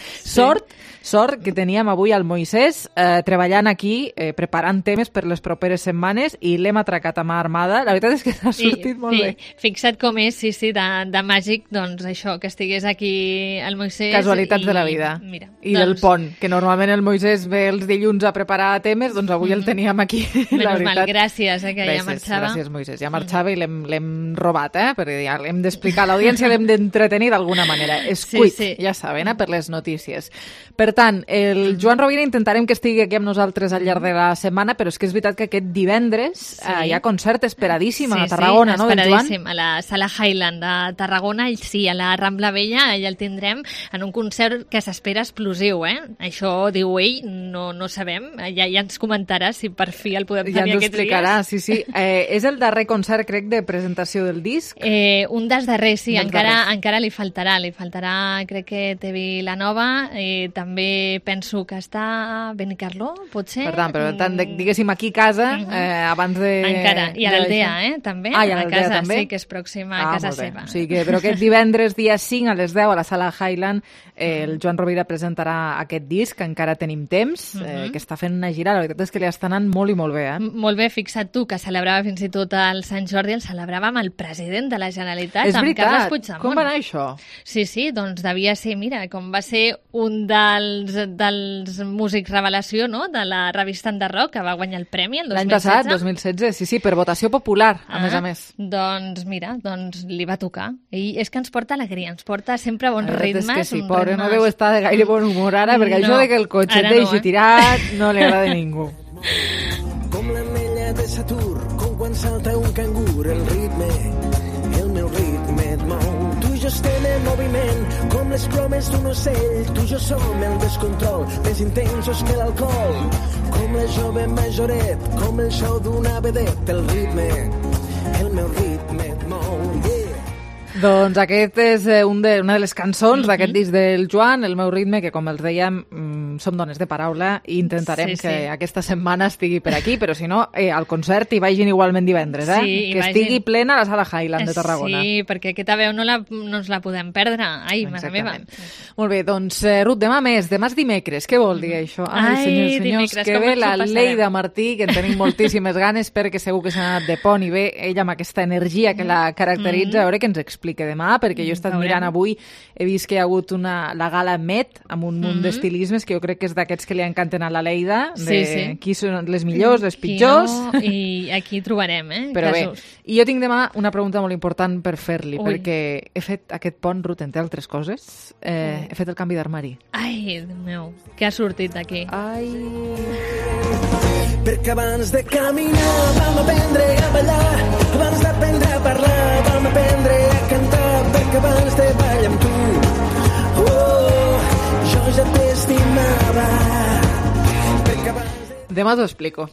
Sort que teníem avui el Moisès treballant aquí, preparant temes per les properes setmanes i l'hem atracat a mà armada. La veritat és que s'ha sortit molt bé. Fixa't com és, de màgic, doncs això, que estigués aquí el Moisès. Casualitats de la vida. Mira, I del pont, que normalment el Moisès ve els dilluns a preparar temes, doncs avui el teníem aquí. Menys mal, gràcies, que ja marxava. Gràcies, Moisès, ja marxava i l'hem robat, perquè ja l'hem d'explicar a l'audiència, l'hem d'entretenir d'alguna manera. Escuit, ja saben, per les notícies. Per tant, el Joan Rovira intentarem que estigui aquí amb nosaltres al llarg de la setmana, però és que és veritat que aquest divendres hi ha concert esperadíssim a Tarragona, no, del Joan? Sí, esperadíssim, a la Sala Highland de Tarragona, sí, a la Rambla Vella, ja el tindrem en un concert que s'espera explosiu, Això, diu ell, no sabem, ja ens comentarà si per fi el podem tenir aquests dies. Ja ens ho explicarà, sí. És el darrer concert, crec, de presentació del disc? Un dels darrers, sí, encara li faltarà. li faltarà, crec que té Vilanova, també penso que està Benicarló, potser? Per tant, diguéssim, aquí a casa, abans de... Encara, i a l'Aldea, també? Ah, i a l'Aldea també? Sí, que és pròxima a casa seva. O sigui que, però aquest divendres, dia 5, a les 10, a la sala Highland, el Joan Rovira presentarà aquest disc, que encara tenim temps, que està fent una gira. La veritat és que li està anant molt i molt bé, Molt bé, fixa't tu, que celebrava fins i tot el Sant Jordi, el celebrava amb el president de la Generalitat, és veritat. amb Carles Puigdemont. Com va anar això? Sí, doncs devia ser, mira, com va ser un dels músics revelació, no?, de la revista Enderrock, que va guanyar el premi el 2016. L'any passat, 2016, sí, per votació popular, a més. Doncs mira, li va tocar. I és que ens porta alegria, ens porta sempre bons ritmes. És que sí, pobre, no deu estar de gaire bon humor ara, perquè això de que el cotxe et deixi tirat no li agrada a ningú. Com l'anella de Saturn, com quan salta un cangur, el meu ritme et mou. Tu i jo estem en moviment, com les plomes d'un ocell. Tu i jo som el descontrol, més intensos que l'alcohol. Com la jove majoret, com el show d'una vedet. El meu ritme et mou. Doncs aquest és una de les cançons d'aquest disc del Joan, El meu ritme, que com els dèiem, som dones de paraula i intentarem que aquesta setmana estigui per aquí, però si no, al concert hi vagin igualment divendres, que estigui plena la sala Highland de Tarragona. Sí, perquè aquesta veu no ens la podem perdre. Ai, mare meva. Molt bé, doncs, Ruth, demà és dimecres. Què vol dir això? Ai, senyors, que ve la Leida Martí, que en tenim moltíssimes ganes, perquè segur que s'ha anat de pont i bé, ella amb aquesta energia que la caracteritza, a veure què ens explica demà, perquè jo he estat mirant avui, he vist que hi ha hagut la gala Met, amb un munt d'estilismes, que jo crec que és d'aquests que li encanten a la Leida, de qui són les millors, les pitjors... I aquí trobarem, Però bé, i jo tinc demà una pregunta molt important per fer-li, perquè he fet aquest pont, Ruth, entre altres coses, he fet el canvi d'armari. Ai, Déu meu, què ha sortit d'aquí? Ai... Perquè abans de caminar vam aprendre a ballar, abans d'aprendre a parlar vam aprendre a cantar, perquè abans de ballar amb tu jo ja t'estimava. Demà t'ho explico.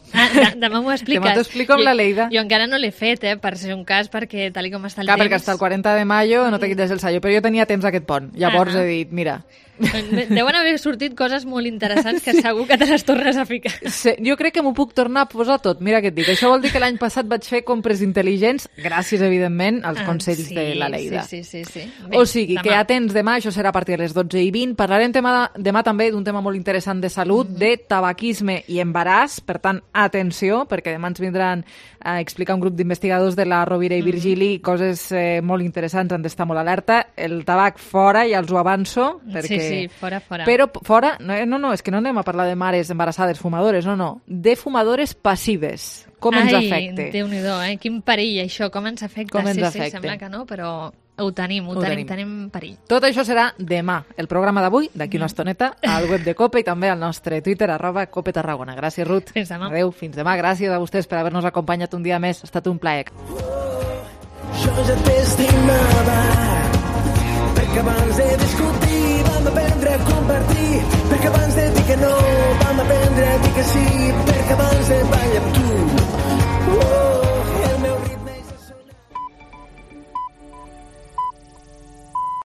Demà m'ho expliques. Demà t'ho explico amb la Leida. Jo encara no l'he fet, per ser un cas, perquè tal com està el temps... Perquè hasta el 40 de mayo no te quites el sallo, però jo tenia temps aquest pont. Llavors he dit, mira... Deuen haver sortit coses molt interessants que segur que te les tornes a ficar. Sí, jo crec que m'ho puc tornar a posar tot. Mira què et dic. Això vol dir que l'any passat vaig fer compres intel·ligents, gràcies, evidentment, als consells de la Leida. Sí. Bé, o sigui, que atents demà, això serà a partir de les 12:20. Parlarem demà també d'un tema molt interessant de salut, de tabaquisme i embaràs. Per tant, atenció, perquè demà ens vindran a explicar un grup d'investigadors de la Rovira i Virgili coses molt interessants, han d'estar molt alerta. El tabac fora, ja els ho avanço, perquè... Sí, fora. Però fora, no, és que no anem a parlar de mares embarassades fumadores, no, de fumadores passives. Com ens afecta? Ai, Déu-n'hi-do, quin perill això, com ens afecta. Sí, sembla que no, però ho tenim perill. Tot això serà demà, el programa d'avui, d'aquí una estoneta, al web de COPE i també al nostre Twitter, @COPETarragona. Gràcies, Ruth. Fins demà. Adéu, fins demà. Gràcies a vostès per haver-nos acompanyat un dia més. Ha estat un plaer. Jo ja t'estimava, perquè abans de discutir vam aprendre a compartir, perquè abans de dir que no vam aprendre a dir que sí, perquè abans de ballar